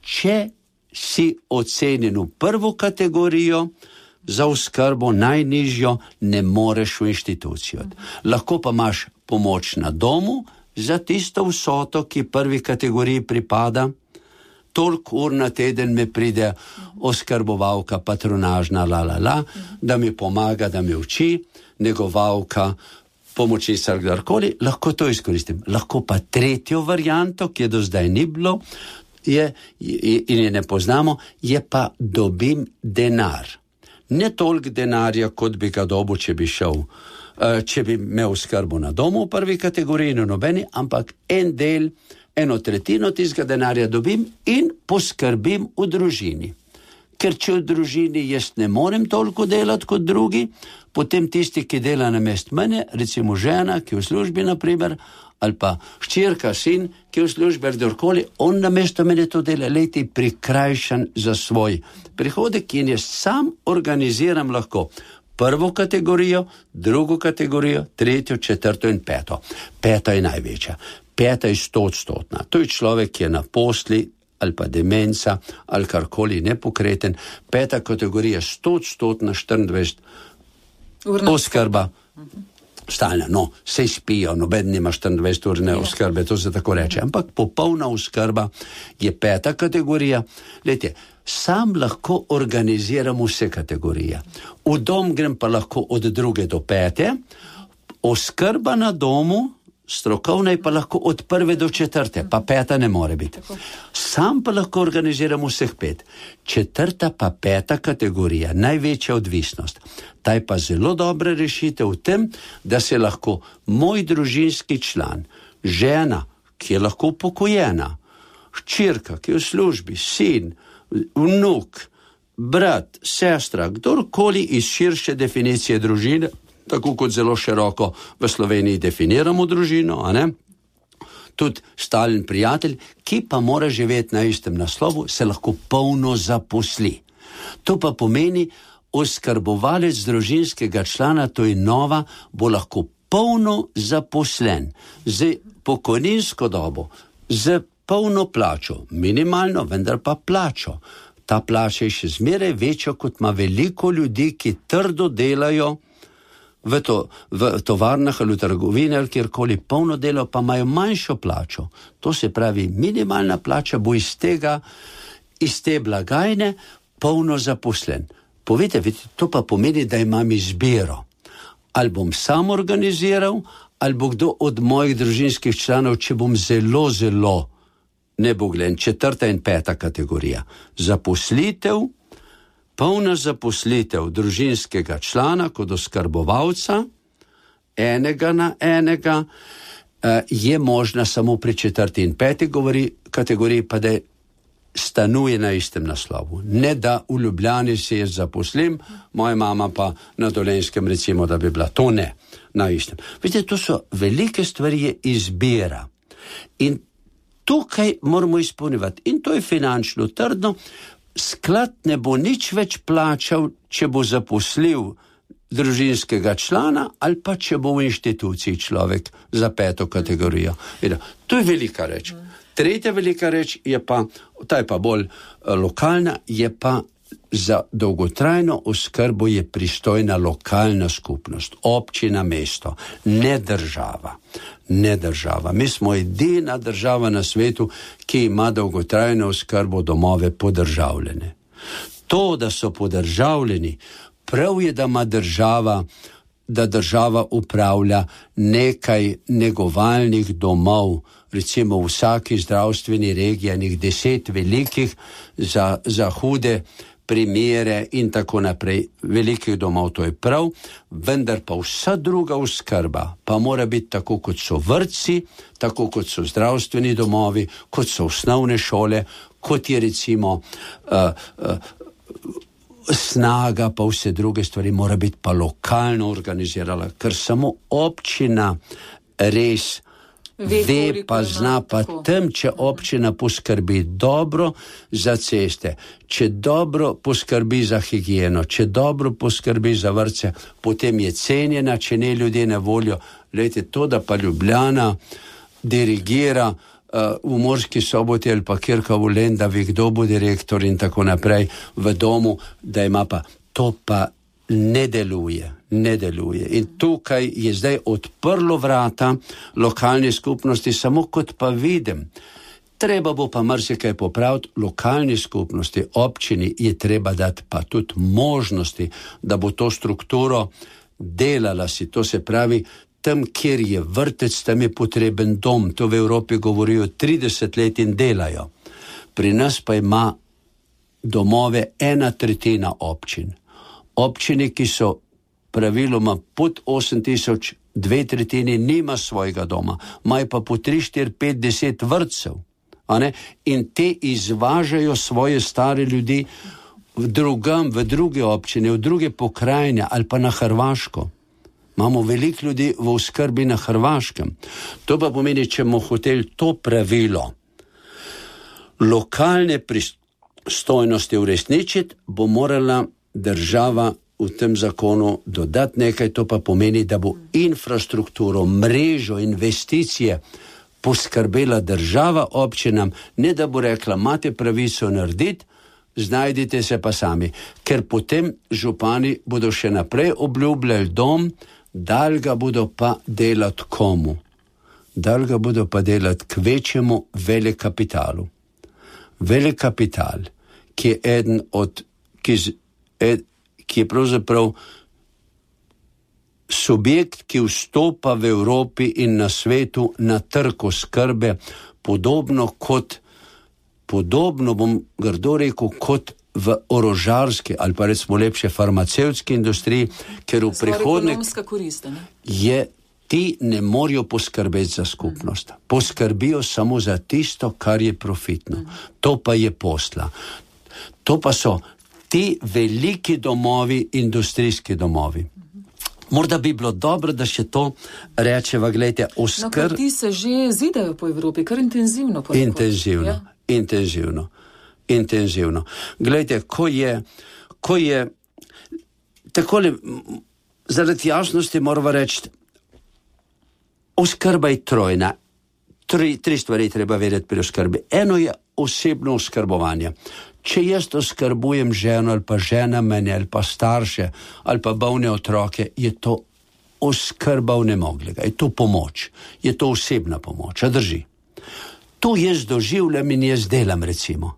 Če si ocenjen v prvo kategorijo za oskrbo najnižjo, ne moreš v inštitucijo. Lahko pa imaš pomoč na domu za tisto vsoto, ki prvi kategoriji pripada. Toliko ur na teden me pride oskrbovalka, patronažna, la, la, la, da mi pomaga, da me uči, negovalka, pomočnica ali kdorkoli, lahko to izkoristim. Lahko pa tretjo varianto, ki je do zdaj ni bilo, je, in je ne poznamo, je pa dobim denar. Ne toliko denarja, kot bi ga dobil, če bi šel, če bi imel oskrbo na domu v prvi kategoriji, no nobeni, ampak en del, eno tretjino tistega denarja dobim in poskrbim v družini. Ker če v družini jaz ne morem toliko delati kot drugi, potem tisti, ki dela namest mene, recimo žena, ki je v službi, naprimer, ali pa hčerka, sin, ki je v službi, ali kdorkoli, on namesto mene to dela, leti prikrajšan za svoj prihodek in jaz sam organiziram lahko prvo kategorijo, drugo kategorijo, tretjo, četrto in peto. Peta je največja. Peta je stoodstotna. To je človek, ki je na posli, ali pa demenca, ali karkoli nepokreten. Peta kategorija stoodstotna, štiriindvajset oskrba. Stalna, no, sej spijo, noben nima štiriindvajset urne oskrbe, to se tako reče. Ampak popolna oskrba je peta kategorija. Lejte, sam lahko organiziram vse kategorije. V dom grem pa lahko od druge do pete, oskrba na domu, strokovna je pa lahko od prve do četrte, pa peta ne more biti. Sam pa lahko organiziram vseh pet. Četrta pa peta kategorija, največja odvisnost. Ta je pa zelo dobra rešitev v tem, da se lahko moj družinski član, žena, ki je lahko upokojena, hčerka, ki je v službi, sin, vnuk, brat, sestra, kdorkoli iz širše definicije družine, tako kot zelo široko v Sloveniji definiramo družino, a ne? Tudi stalen prijatelj, ki pa mora živeti na istem naslovu, se lahko polno zaposli. To pa pomeni, oskrbovalec družinskega člana, to je nova, bo lahko polno zaposlen, z pokojninsko dobo, z polno plačo, minimalno, vendar pa plačo. Ta plača je še zmeraj večja, kot ima veliko ljudi, ki trdo delajo v, to, v tovarnah ali v trgovini ali kjerkoli, polno delo, pa imajo manjšo plačo. To se pravi, minimalna plača bo iz tega, iz te blagajne polno zaposlen. Povejte, to pa pomeni, da imam izbiro. Ali bom sam organiziral, ali bo kdo od mojih družinskih članov, če bom zelo, zelo neboglen, četrta in peta kategorija. Zaposlitev, polna zaposlitev družinskega člana kot oskrbovalca, enega na enega, je možna samo pri četrti in peti kategoriji, pa da stanuje na istem naslovu. Ne da v Ljubljani se jaz zaposlim, moja mama pa na Dolenjskem, recimo, da bi bila. To ne, na istem. Vidite, to so velike stvari, je izbira. In tukaj moramo izpolnjevati. In to je finančno trdno. Sklad ne bo nič več plačal, če bo zaposlil družinskega člana ali pa če bo v inštituciji človek za peto kategorijo. To je velika reč. Tretja velika reč je pa, ta je pa bolj lokalna, je pa za dolgotrajno oskrbo je pristojna lokalna skupnost, občina, mesto, ne država. Ne država. Mi smo edina država na svetu, ki ima dolgotrajno oskrbo domove podržavljene. To, da so podržavljeni, prav je, da ima država, da država upravlja nekaj negovalnih domov, recimo v vsaki zdravstveni regiji, enih deset velikih za, za hude primere in tako naprej, velikih domov, to je prav, vendar pa vsa druga oskrba pa mora biti tako, kot so vrtci, tako kot so zdravstveni domovi, kot so osnovne šole, kot je recimo uh, uh, snaga, pa vse druge stvari, mora biti pa lokalno organizirala, ker samo občina res ve, ve pa zna pa tem, če občina poskrbi dobro za ceste, če dobro poskrbi za higieno, če dobro poskrbi za vrtce, potem je cenjena, če ne ljudje na voljo. Glejte, to, da pa Ljubljana dirigira uh, v Murski Soboti ali pa kjerkoli v Lendavi, kdo bo direktor in tako naprej v domu, da ima pa, to pa ne deluje. ne deluje. In tukaj je zdaj odprlo vrata lokalne skupnosti, samo kot pa vidim. Treba bo pa marsikaj popraviti, lokalni skupnosti, občini je treba dati pa tudi možnosti, da bo to strukturo delala si. To se pravi, tam, kjer je vrtec, tam je potreben dom. To v Evropi govorijo trideset let in delajo. Pri nas pa ima domove ena tretjina občin. Občine, ki so praviloma pod osem tisoč, dve tretjini nima svojega doma, imajo pa po tri, štiri, pet, deset vrtcev. A ne? In te izvažajo svoje stare ljudi v drugam, v druge občine, v druge pokrajine ali pa na Hrvaško. Imamo veliko ljudi v oskrbi na Hrvaškem. To pa pomeni, če bomo hoteli to pravilo lokalne pristojnosti uresničiti, bo morala država v tem zakonu dodati nekaj, to pa pomeni, da bo infrastrukturo, mrežo, investicije poskrbela država občinam, ne da bo rekla, imate pravico narediti, znajdite se pa sami. Ker potem župani bodo še naprej obljubljali dom, dal ga bodo pa delati komu? Dal ga bodo pa delati k večjemu velikapitalu. Velikapital, ki je eden od, ki, ed, ki je pravzaprav subjekt, ki vstopa v Evropi in na svetu na trg oskrbe, podobno kot, podobno bom grdo rekel, kot v orožarski ali pa recimo lepše farmacevtski industriji, ker v prihodnje je, ti ne morajo poskrbeti za skupnost. Poskrbijo samo za tisto, kar je profitno. To pa je posla. To pa so ti veliki domovi, industrijski domovi. Morda bi bilo dobro, da še to rečeva, gledajte, oskr... No, ker ti se že zidajo po Evropi, kar intenzivno. Po intenzivno, ja? intenzivno, intenzivno. Gledajte, ko je, ko je, takole, zaradi jasnosti moramo reči, oskrba je trojna. Tri, tri stvari treba vedeti pri oskrbi. Eno je osebno oskrbovanje. Če jaz oskrbujem ženo ali pa žena mene ali pa starše ali pa bolne otroke, je to oskrba vnemoglega, je to pomoč, je to osebna pomoč, a drži. To jaz doživljam in jaz delam, recimo.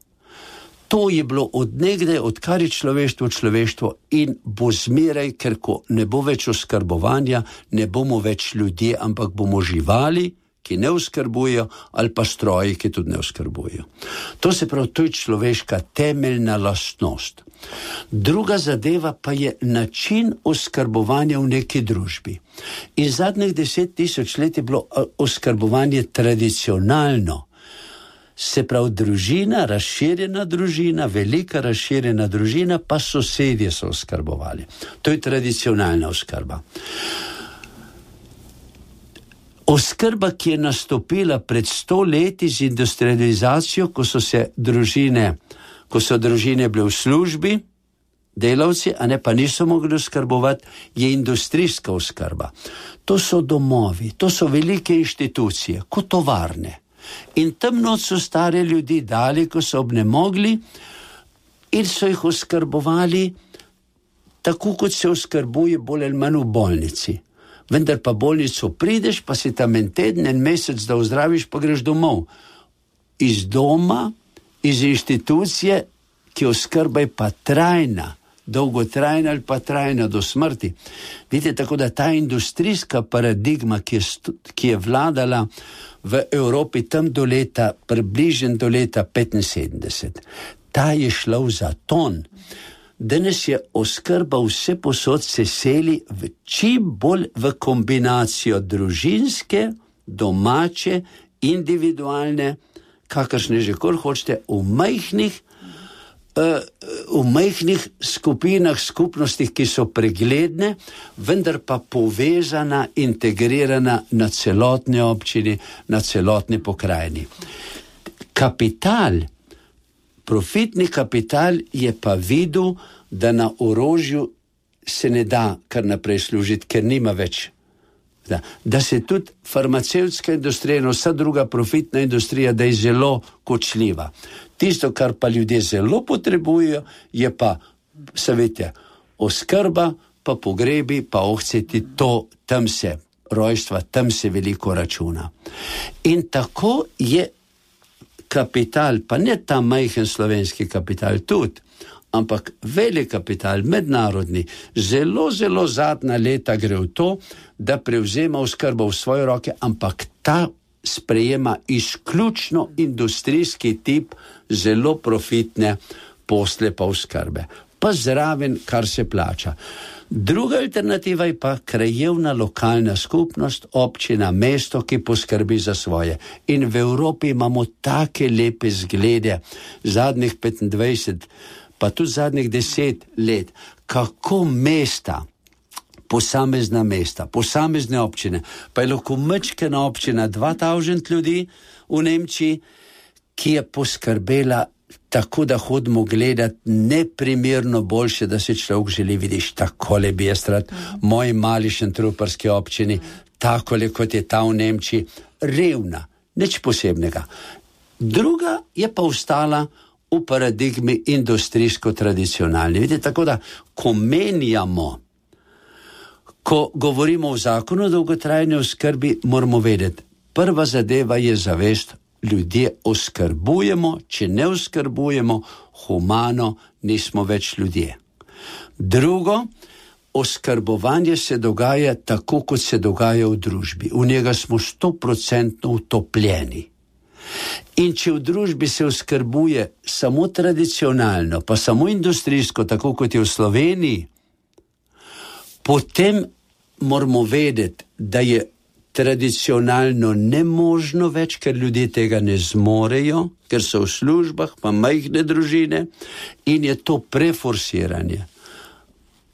To je bilo od nekdaj, odkar je človeštvo človeštvo in bo zmeraj, ker ko ne bo več oskrbovanja, ne bomo več ljudje, ampak bomo živali, ki ne oskrbujejo, ali pa stroji, ki tudi ne oskrbujejo. To se pravi, to je človeška temeljna lastnost. Druga zadeva pa je način oskrbovanja v neki družbi. In zadnjih deset tisoč let je bilo oskrbovanje tradicionalno. Se pravi, družina, razširjena družina, velika razširjena družina, pa sosedje so oskrbovali. To je tradicionalna oskrba. Oskrba, ki je nastopila pred sto leti z industrializacijo, ko so se družine, ko so družine bile v službi, delavci, a ne pa niso mogli oskrbovati, je industrijska oskrba. To so domovi, to so velike inštitucije, kot tovarne. In tam noč so stare ljudi dali, ko so obnemogli, in so jih oskrbovali tako, kot se oskrbuje bolj ali manj v bolnici. Vendar pa bolnico prideš, pa si tam en teden, en mesec, da ozdraviš, pa greš domov. Iz doma, iz inštitucije, ki oskrba je pa trajna, dolgotrajna ali pa trajna do smrti. Vidite, tako da ta industrijska paradigma, ki je, ki je vladala v Evropi tam do leta, približno do leta petinsedemdeset, ta je šla v zaton. Danes je oskrba vse posod se seli v čim bolj v kombinacijo družinske, domače, individualne, kakršne že kar hočete, v majhnih, uh, v majhnih skupinah, skupnostih, ki so pregledne, vendar pa povezana, integrirana na celotne občini, na celotne pokrajini. Kapital, profitni kapital je pa videl, da na orožju se ne da kar naprej služiti, ker nima več. Da, da se tudi farmacevtska industrija in vsa druga profitna industrija, da je zelo kočljiva. Tisto, kar pa ljudje zelo potrebujejo, je pa, savete, oskrba, pa pogrebi, pa ohceti, to, tam se rojstva, tam se veliko računa. In tako je kapital, pa ne ta majhen slovenski kapital tudi, ampak velik kapital, mednarodni, zelo, zelo zadnja leta gre v to, da prevzema oskrbo v svoje roke, ampak ta sprejema izključno industrijski tip zelo profitne posle pa oskrbe. Pa zraven, kar se plača. Druga alternativa je pa krajevna lokalna skupnost, občina, mesto, ki poskrbi za svoje. In v Evropi imamo take lepe zglede, zadnjih petindvajset, pa tudi zadnjih deset let, kako mesta, posamezna mesta, posamezne občine, pa je lahko majčkena občina, dva tisoč ljudi v Nemčiji, ki je poskrbela tako, da hodimo gledati neprimerno boljše, da se človek želi, vidiš, takole bi jaz rad moji mali šentruperski občini, takole kot je ta v Nemčiji, revna, nič posebnega. Druga je pa ostala v paradigmi industrijsko-tradicionalni. Vidite, tako da, ko menjamo, ko govorimo o zakonu o dolgotrajni oskrbi, moramo vedeti, prva zadeva je zavest, ljudje oskrbujemo, če ne oskrbujemo, humano nismo več ljudje. Drugo, oskrbovanje se dogaja tako, kot se dogaja v družbi. V njega smo stoprocentno utopljeni. In če v družbi se oskrbuje samo tradicionalno, pa samo industrijsko, tako kot je v Sloveniji, potem moramo vedeti, da je tradicionalno nemožno več, ker ljudje tega ne zmorejo, ker so v službah, pa majhne družine, in je to preforsiranje.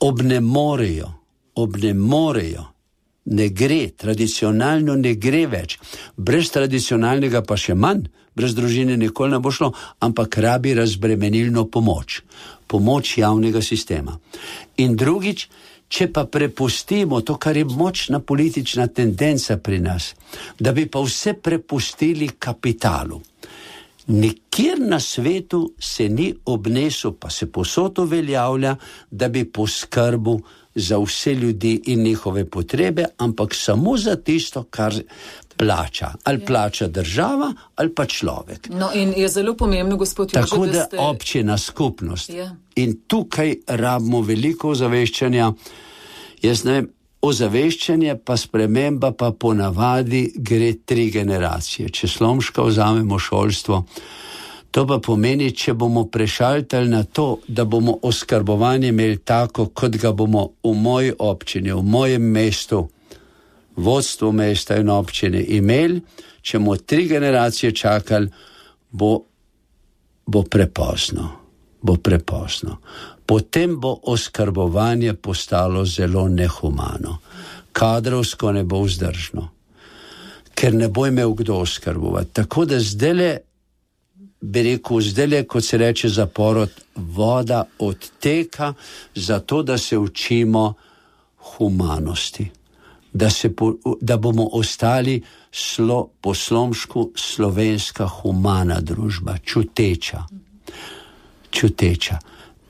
Obnemorejo, obnemorejo, ne gre, tradicionalno ne gre več. Brez tradicionalnega pa še manj, brez družine nikoli ne bo šlo, ampak rabi razbremenilno pomoč, pomoč javnega sistema. In drugič, če pa prepustimo to, kar je močna politična tendenca pri nas, da bi pa vse prepustili kapitalu. Nikjer na svetu se ni obnesel, pa se povsod uveljavlja, da bi poskrbel za vse ljudi in njihove potrebe, ampak samo za tisto, kar plača. Ali ja. Plača država, ali pa človek. No in je zelo pomembno, gospod Jože, tako da ste... občina, skupnost. Ja. In tukaj rabimo veliko ozaveščanja. Jaz ne vem, ozaveščanje pa sprememba pa ponavadi gre tri generacije. Če slomška vzamemo šolstvo, to pa pomeni, če bomo prešaltali na to, da bomo oskrbovanje imeli tako, kot ga bomo v moji občini, v mojem mestu, vodstvo mesta in občine imeli, če bomo tri generacije čakali, bo, bo prepozno. Bo prepozno. Potem bo oskrbovanje postalo zelo nehumano. Kadrovsko ne bo vzdržno, ker ne bo imel kdo oskrbovati. Tako da zdajle, bi rekel, zdajle, kot se reče za porod, voda odteka, zato da se učimo humanosti. Da, se po, da bomo ostali slo, po slomšku slovenska humana družba, čuteča. Čuteča.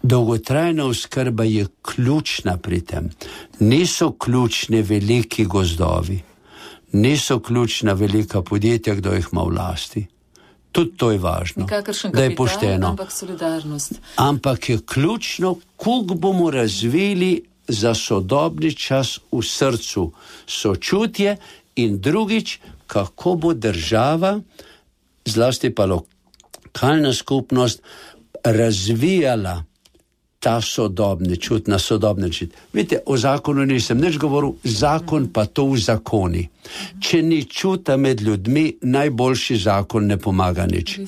Dolgotrajna oskrba je ključna pri tem. Niso ključne veliki gozdovi, niso ključna velika podjetja, kdo jih ima v lasti. Tudi to je važno, kapital, da je pošteno. Ampak solidarnost. Ampak je ključno, koliko bomo razvili za sodobni čas v srcu sočutje in drugič, kako bo država, zlasti pa lokalna skupnost, razvijala ta sodobni čut, na sodobni čut. Vidite, o zakonu nisem nič govoril, zakon pa to v zakoni. Če ni čuta med ljudmi, najboljši zakon ne pomaga nič.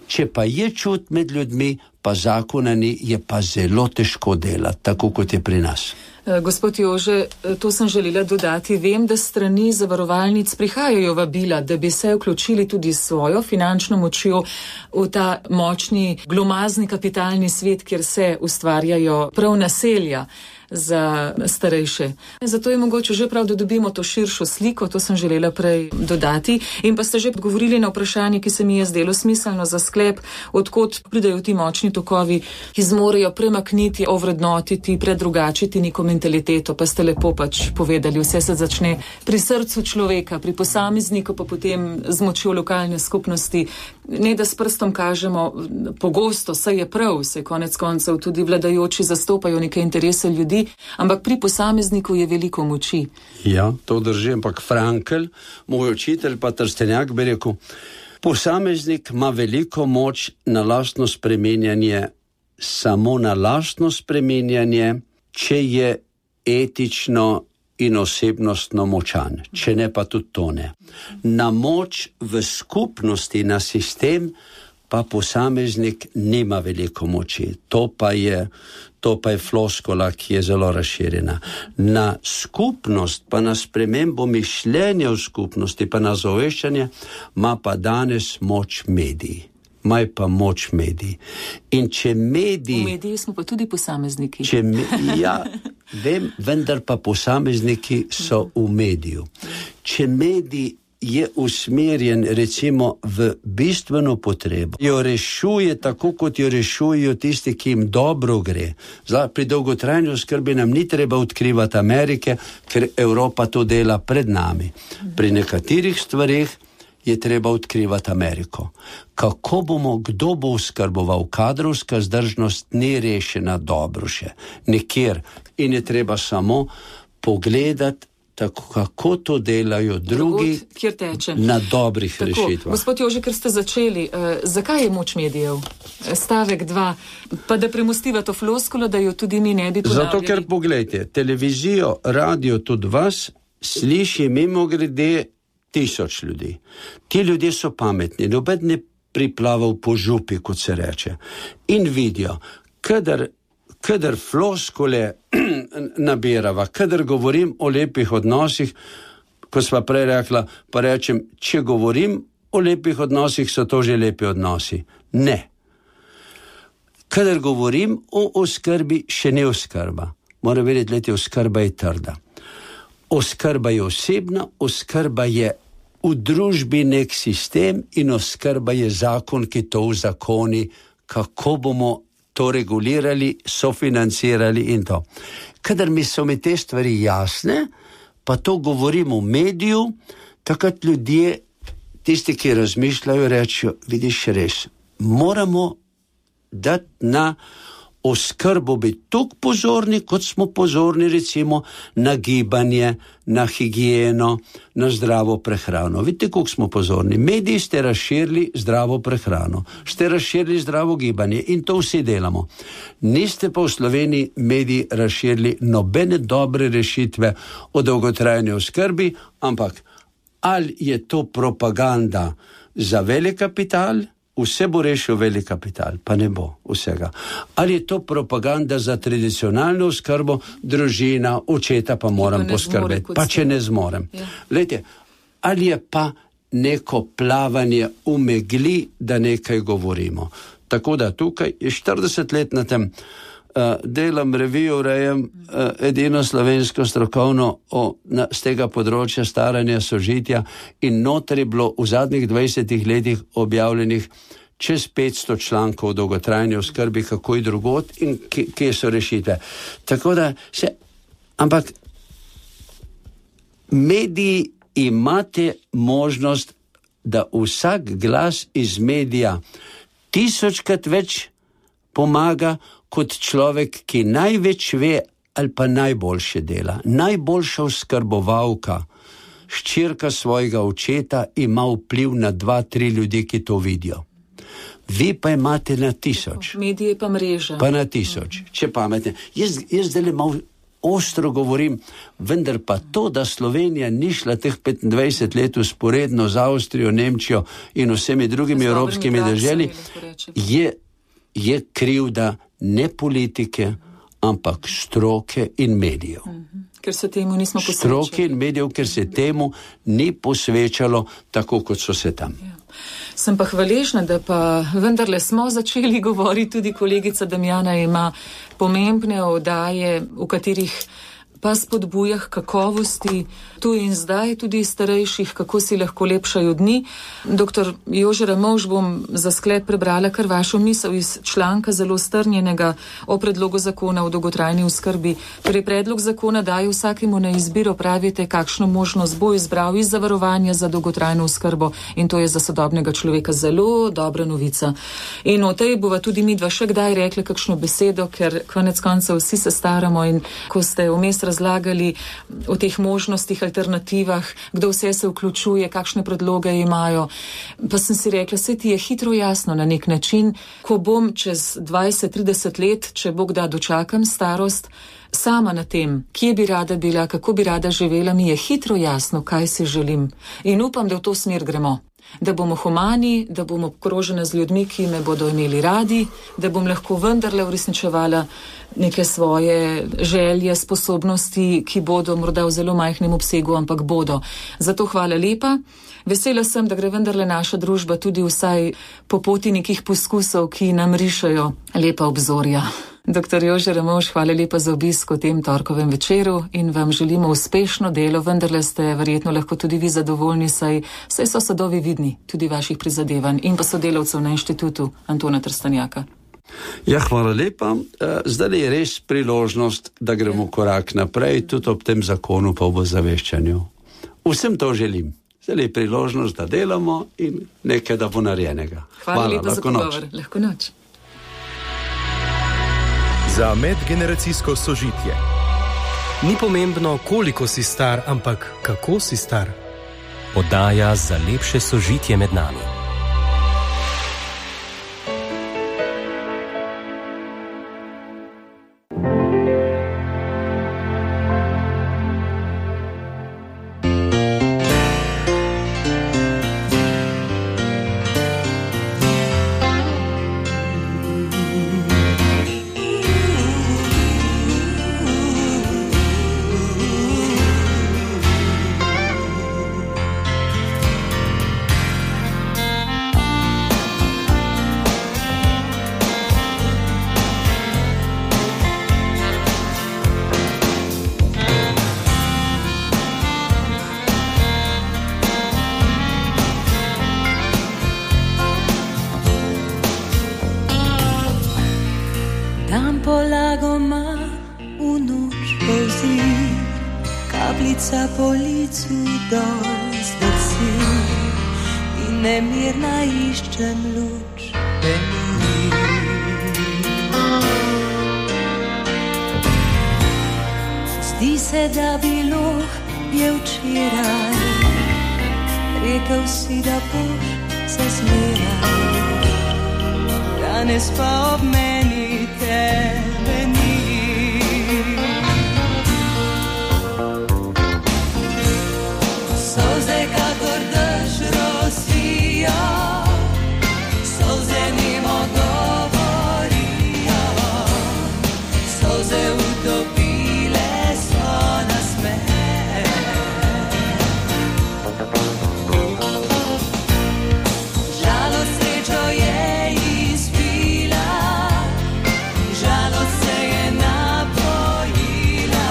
Če pa je čut med ljudmi, pa zakona ni, je pa zelo težko delati, tako kot je pri nas. Gospod Jože, to sem želela dodati. Vem, da strani zavarovalnic prihajajo vabila, da bi se vključili tudi svojo finančno močjo v ta močni, glomazni kapitalni svet, kjer se ustvarjajo prav naselja za starejše. Zato je mogoče že prav, da dobimo to širšo sliko, to sem želela prej dodati. In pa ste že odgovorili na vprašanje, ki se mi je zdelo smiselno za sklep, odkot pridajo ti močni tokovi, ki zmorejo premakniti, ovrednotiti, predrugačiti neko mentaliteto, pa ste lepo pač povedali, vse se začne pri srcu človeka, pri posamezniku, pa potem z močjo lokalne skupnosti, ne da s prstom kažemo, pogosto, saj je prav, saj konec koncev tudi vladajoči zastopajo neke interese ljudi, ampak pri posamezniku je veliko moči. Ja, to drži, ampak Frankl, moj učitelj pa Trstenjak bi rekel, posameznik ima veliko moč na lastno spreminjanje, samo na lastno spreminjanje, če je etično in osebnostno močan, če ne pa tudi to ne. Na moč v skupnosti, na sistem, pa posameznik nima veliko moči. To pa je, to pa je floskola, ki je zelo razširjena. Na skupnost, pa na spremembo mišljenja v skupnosti, pa na zaveščanje, ima pa danes moč mediji. Maj pa moč mediji. In če mediji... V mediji smo pa tudi posamezniki. Če me, ja, vem, vendar pa posamezniki so v mediju. Če medij je usmerjen recimo v bistveno potrebo, jo rešuje tako, kot jo rešujejo tisti, ki jim dobro gre. Zdaj, pri dolgotrajni oskrbi nam ni treba odkrivati Amerike, ker Evropa to dela pred nami. Pri nekaterih stvareh je treba odkrivati Ameriko. Kako bomo, kdo bo oskrboval? Kadrovska zdržnost ni rešena dobro še. Nekjer. In je treba samo pogledati, tako, kako to delajo drugi na dobrih tako, rešitvah. Gospod Jože, ker ste začeli, eh, zakaj je moč medijev? Stavek dva, pa da premostiva to floskulo, da jo tudi mi ne bi ponavljali. Zato, ker pogledajte, televizijo, radio, tudi vas sliši mimogrede tisoč ljudi. Ti ljudje so pametni, noben ne priplaval po župi, kot se reče. In vidijo, kadar, kadar floskule nabirava, kadar govorim o lepih odnosih, ko sva prej rekla, pa rečem, če govorim o lepih odnosih, so to že lepi odnosi. Ne. Kadar govorim o oskrbi, še ne oskrba. Mora vedeti, leti, oskrba je trda. Oskrba je osebna, oskrba je v družbi nek sistem in oskrba je zakon, ki to vzakoni, kako bomo to regulirali, sofinancirali in to. Kadar mi so mi te stvari jasne, pa to govorim v mediju, takrat ljudje, tisti, ki razmišljajo, rečejo, vidiš res, moramo dati na oskrbo biti toliko pozorni, kot smo pozorni recimo na gibanje, na higieno, na zdravo prehrano. Vidite, koliko smo pozorni. Mediji ste razširili zdravo prehrano, ste razširili zdravo gibanje in to vsi delamo. Niste pa v Sloveniji mediji razširili nobene dobre rešitve o dolgotrajni oskrbi, ampak ali je to propaganda za velik kapital, vse bo rešil velik kapital, pa ne bo vsega. Ali je to propaganda za tradicionalno oskrbo, družina, očeta pa moram pa poskrbeti, pa če ne zmorem. Ja. Lejte, ali je pa neko plavanje v megli, da nekaj govorimo. Tako da tukaj je štirideset let na tem, uh, delam revijo, rejem uh, edino slovensko strokovno o, na, z tega področja staranja, sožitja in noter je bilo v zadnjih dvajsetih letih objavljenih čez petsto člankov o dolgotrajni oskrbi, kako je drugot in kje so rešitve. Tako da se, ampak mediji imate možnost, da vsak glas iz medija tisočkrat več pomaga kot človek, ki največ ve ali pa najboljše dela. Najboljša oskrbovalka, hčerka svojega očeta, ima vpliv na dva, tri ljudi, ki to vidijo. Vi pa imate na tisoč. Medije pa mreža. Pa na tisoč. Če pametne. Jaz, jaz zdaj malo ostro govorim, vendar pa to, da Slovenija ni šla teh petindvajset let usporedno z Avstrijo, Nemčijo in vsemi drugimi evropskimi državami, je, je krivda ne politike, ampak stroke in medijev. Mm-hmm. Ker se temu nismo posvečali. Stroke in medijev, ker se temu ni posvečalo tako, kot so se tam. Ja. Sem pa hvaležna, da pa vendarle smo začeli govoriti, tudi kolegica Damjana ima pomembne oddaje, v katerih pa spodbuja k kakovosti tu in zdaj tudi starejših, kako si lahko lepšajo dni. Doktor Jože Ramovš, bom za sklep prebrala kar vašo misel iz članka zelo strnjenega o predlogu zakona o dolgotrajni oskrbi. Torej, predlog zakona daje vsakemu na izbiro, pravite, kakšno možnost bo izbral iz zavarovanja za dolgotrajno oskrbo, in to je za sodobnega človeka zelo dobra novica. In o tej bova tudi midva še kdaj rekli kakšno besedo, ker konec koncev vsi se staramo, in ko ste vmes razlagali o teh možnostih, alternativah, kdo vse se vključuje, kakšne predloge imajo, pa sem si rekla, se ti je hitro jasno na nek način, ko bom čez dvajset trideset let, če Bog da, dočakam starost, sama na tem, kje bi rada bila, kako bi rada živela, mi je hitro jasno, kaj si želim. In upam, da v to smer gremo. Da bomo humani, da bomo obkrožene z ljudmi, ki me bodo imeli radi, da bom lahko vendarle uresničevala neke svoje želje, sposobnosti, ki bodo morda v zelo majhnem obsegu, ampak bodo. Zato hvala lepa. Vesela sem, da gre vendarle naša družba tudi vsaj po poti nekih poskusov, ki nam rišajo lepa obzorja. Doktor Jože Ramovš, hvala lepa za obisk v tem torkovem večeru in vam želimo uspešno delo. Vendarle ste verjetno lahko tudi vi zadovoljni, saj, saj so sadovi vidni tudi vaših prizadevanj in pa sodelavcev na inštitutu Antona Trstenjaka. Ja, hvala lepa. Zdaj je res priložnost, da gremo korak naprej, tudi ob tem zakonu pa v zaveščanju. Vsem to želim. Zdaj je priložnost, da delamo in nekaj, da bo narejenega. Hvala, hvala lepa za pogovor. Lahko noč. Za medgeneracijsko sožitje. Ni pomembno, koliko si star, ampak kako si star. Oddaja za lepše sožitje med nami. Kapljica po licu dol zdrsi in nemirna iščem luč peni. Zdi se, da bilo je včeraj, rekel si, da boš se zmeraj, danes pa ob meni tebe ni. Solze kakor dež rosijo, solze nimo govorijo, solze utopile so nasmeh. Žalost srečo je izpila, žalost se je napojila,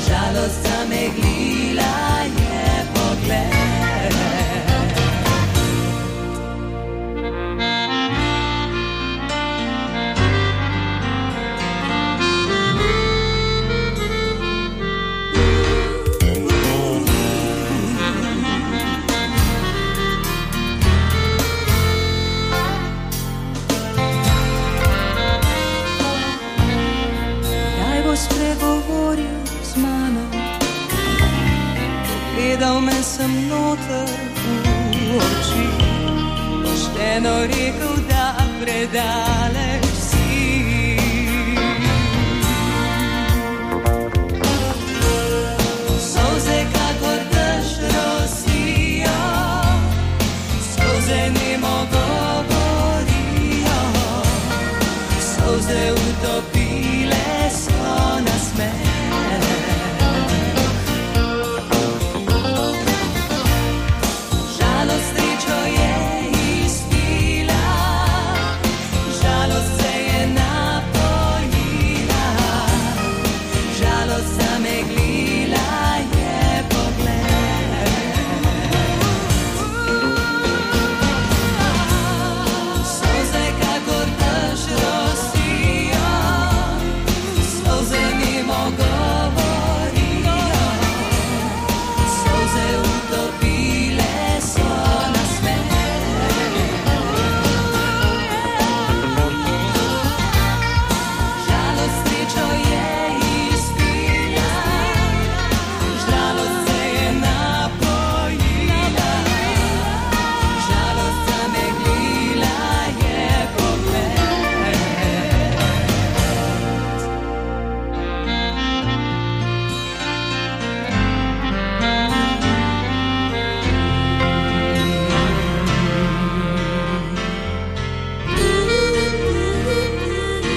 žalost zameglila je pogled. Daj bo spregovoril z mano, gledal me sem noter v oči, pošteno rekel, da predaleč si. Solze kakor dež rosijo, solze nemo govorijo, solze utopile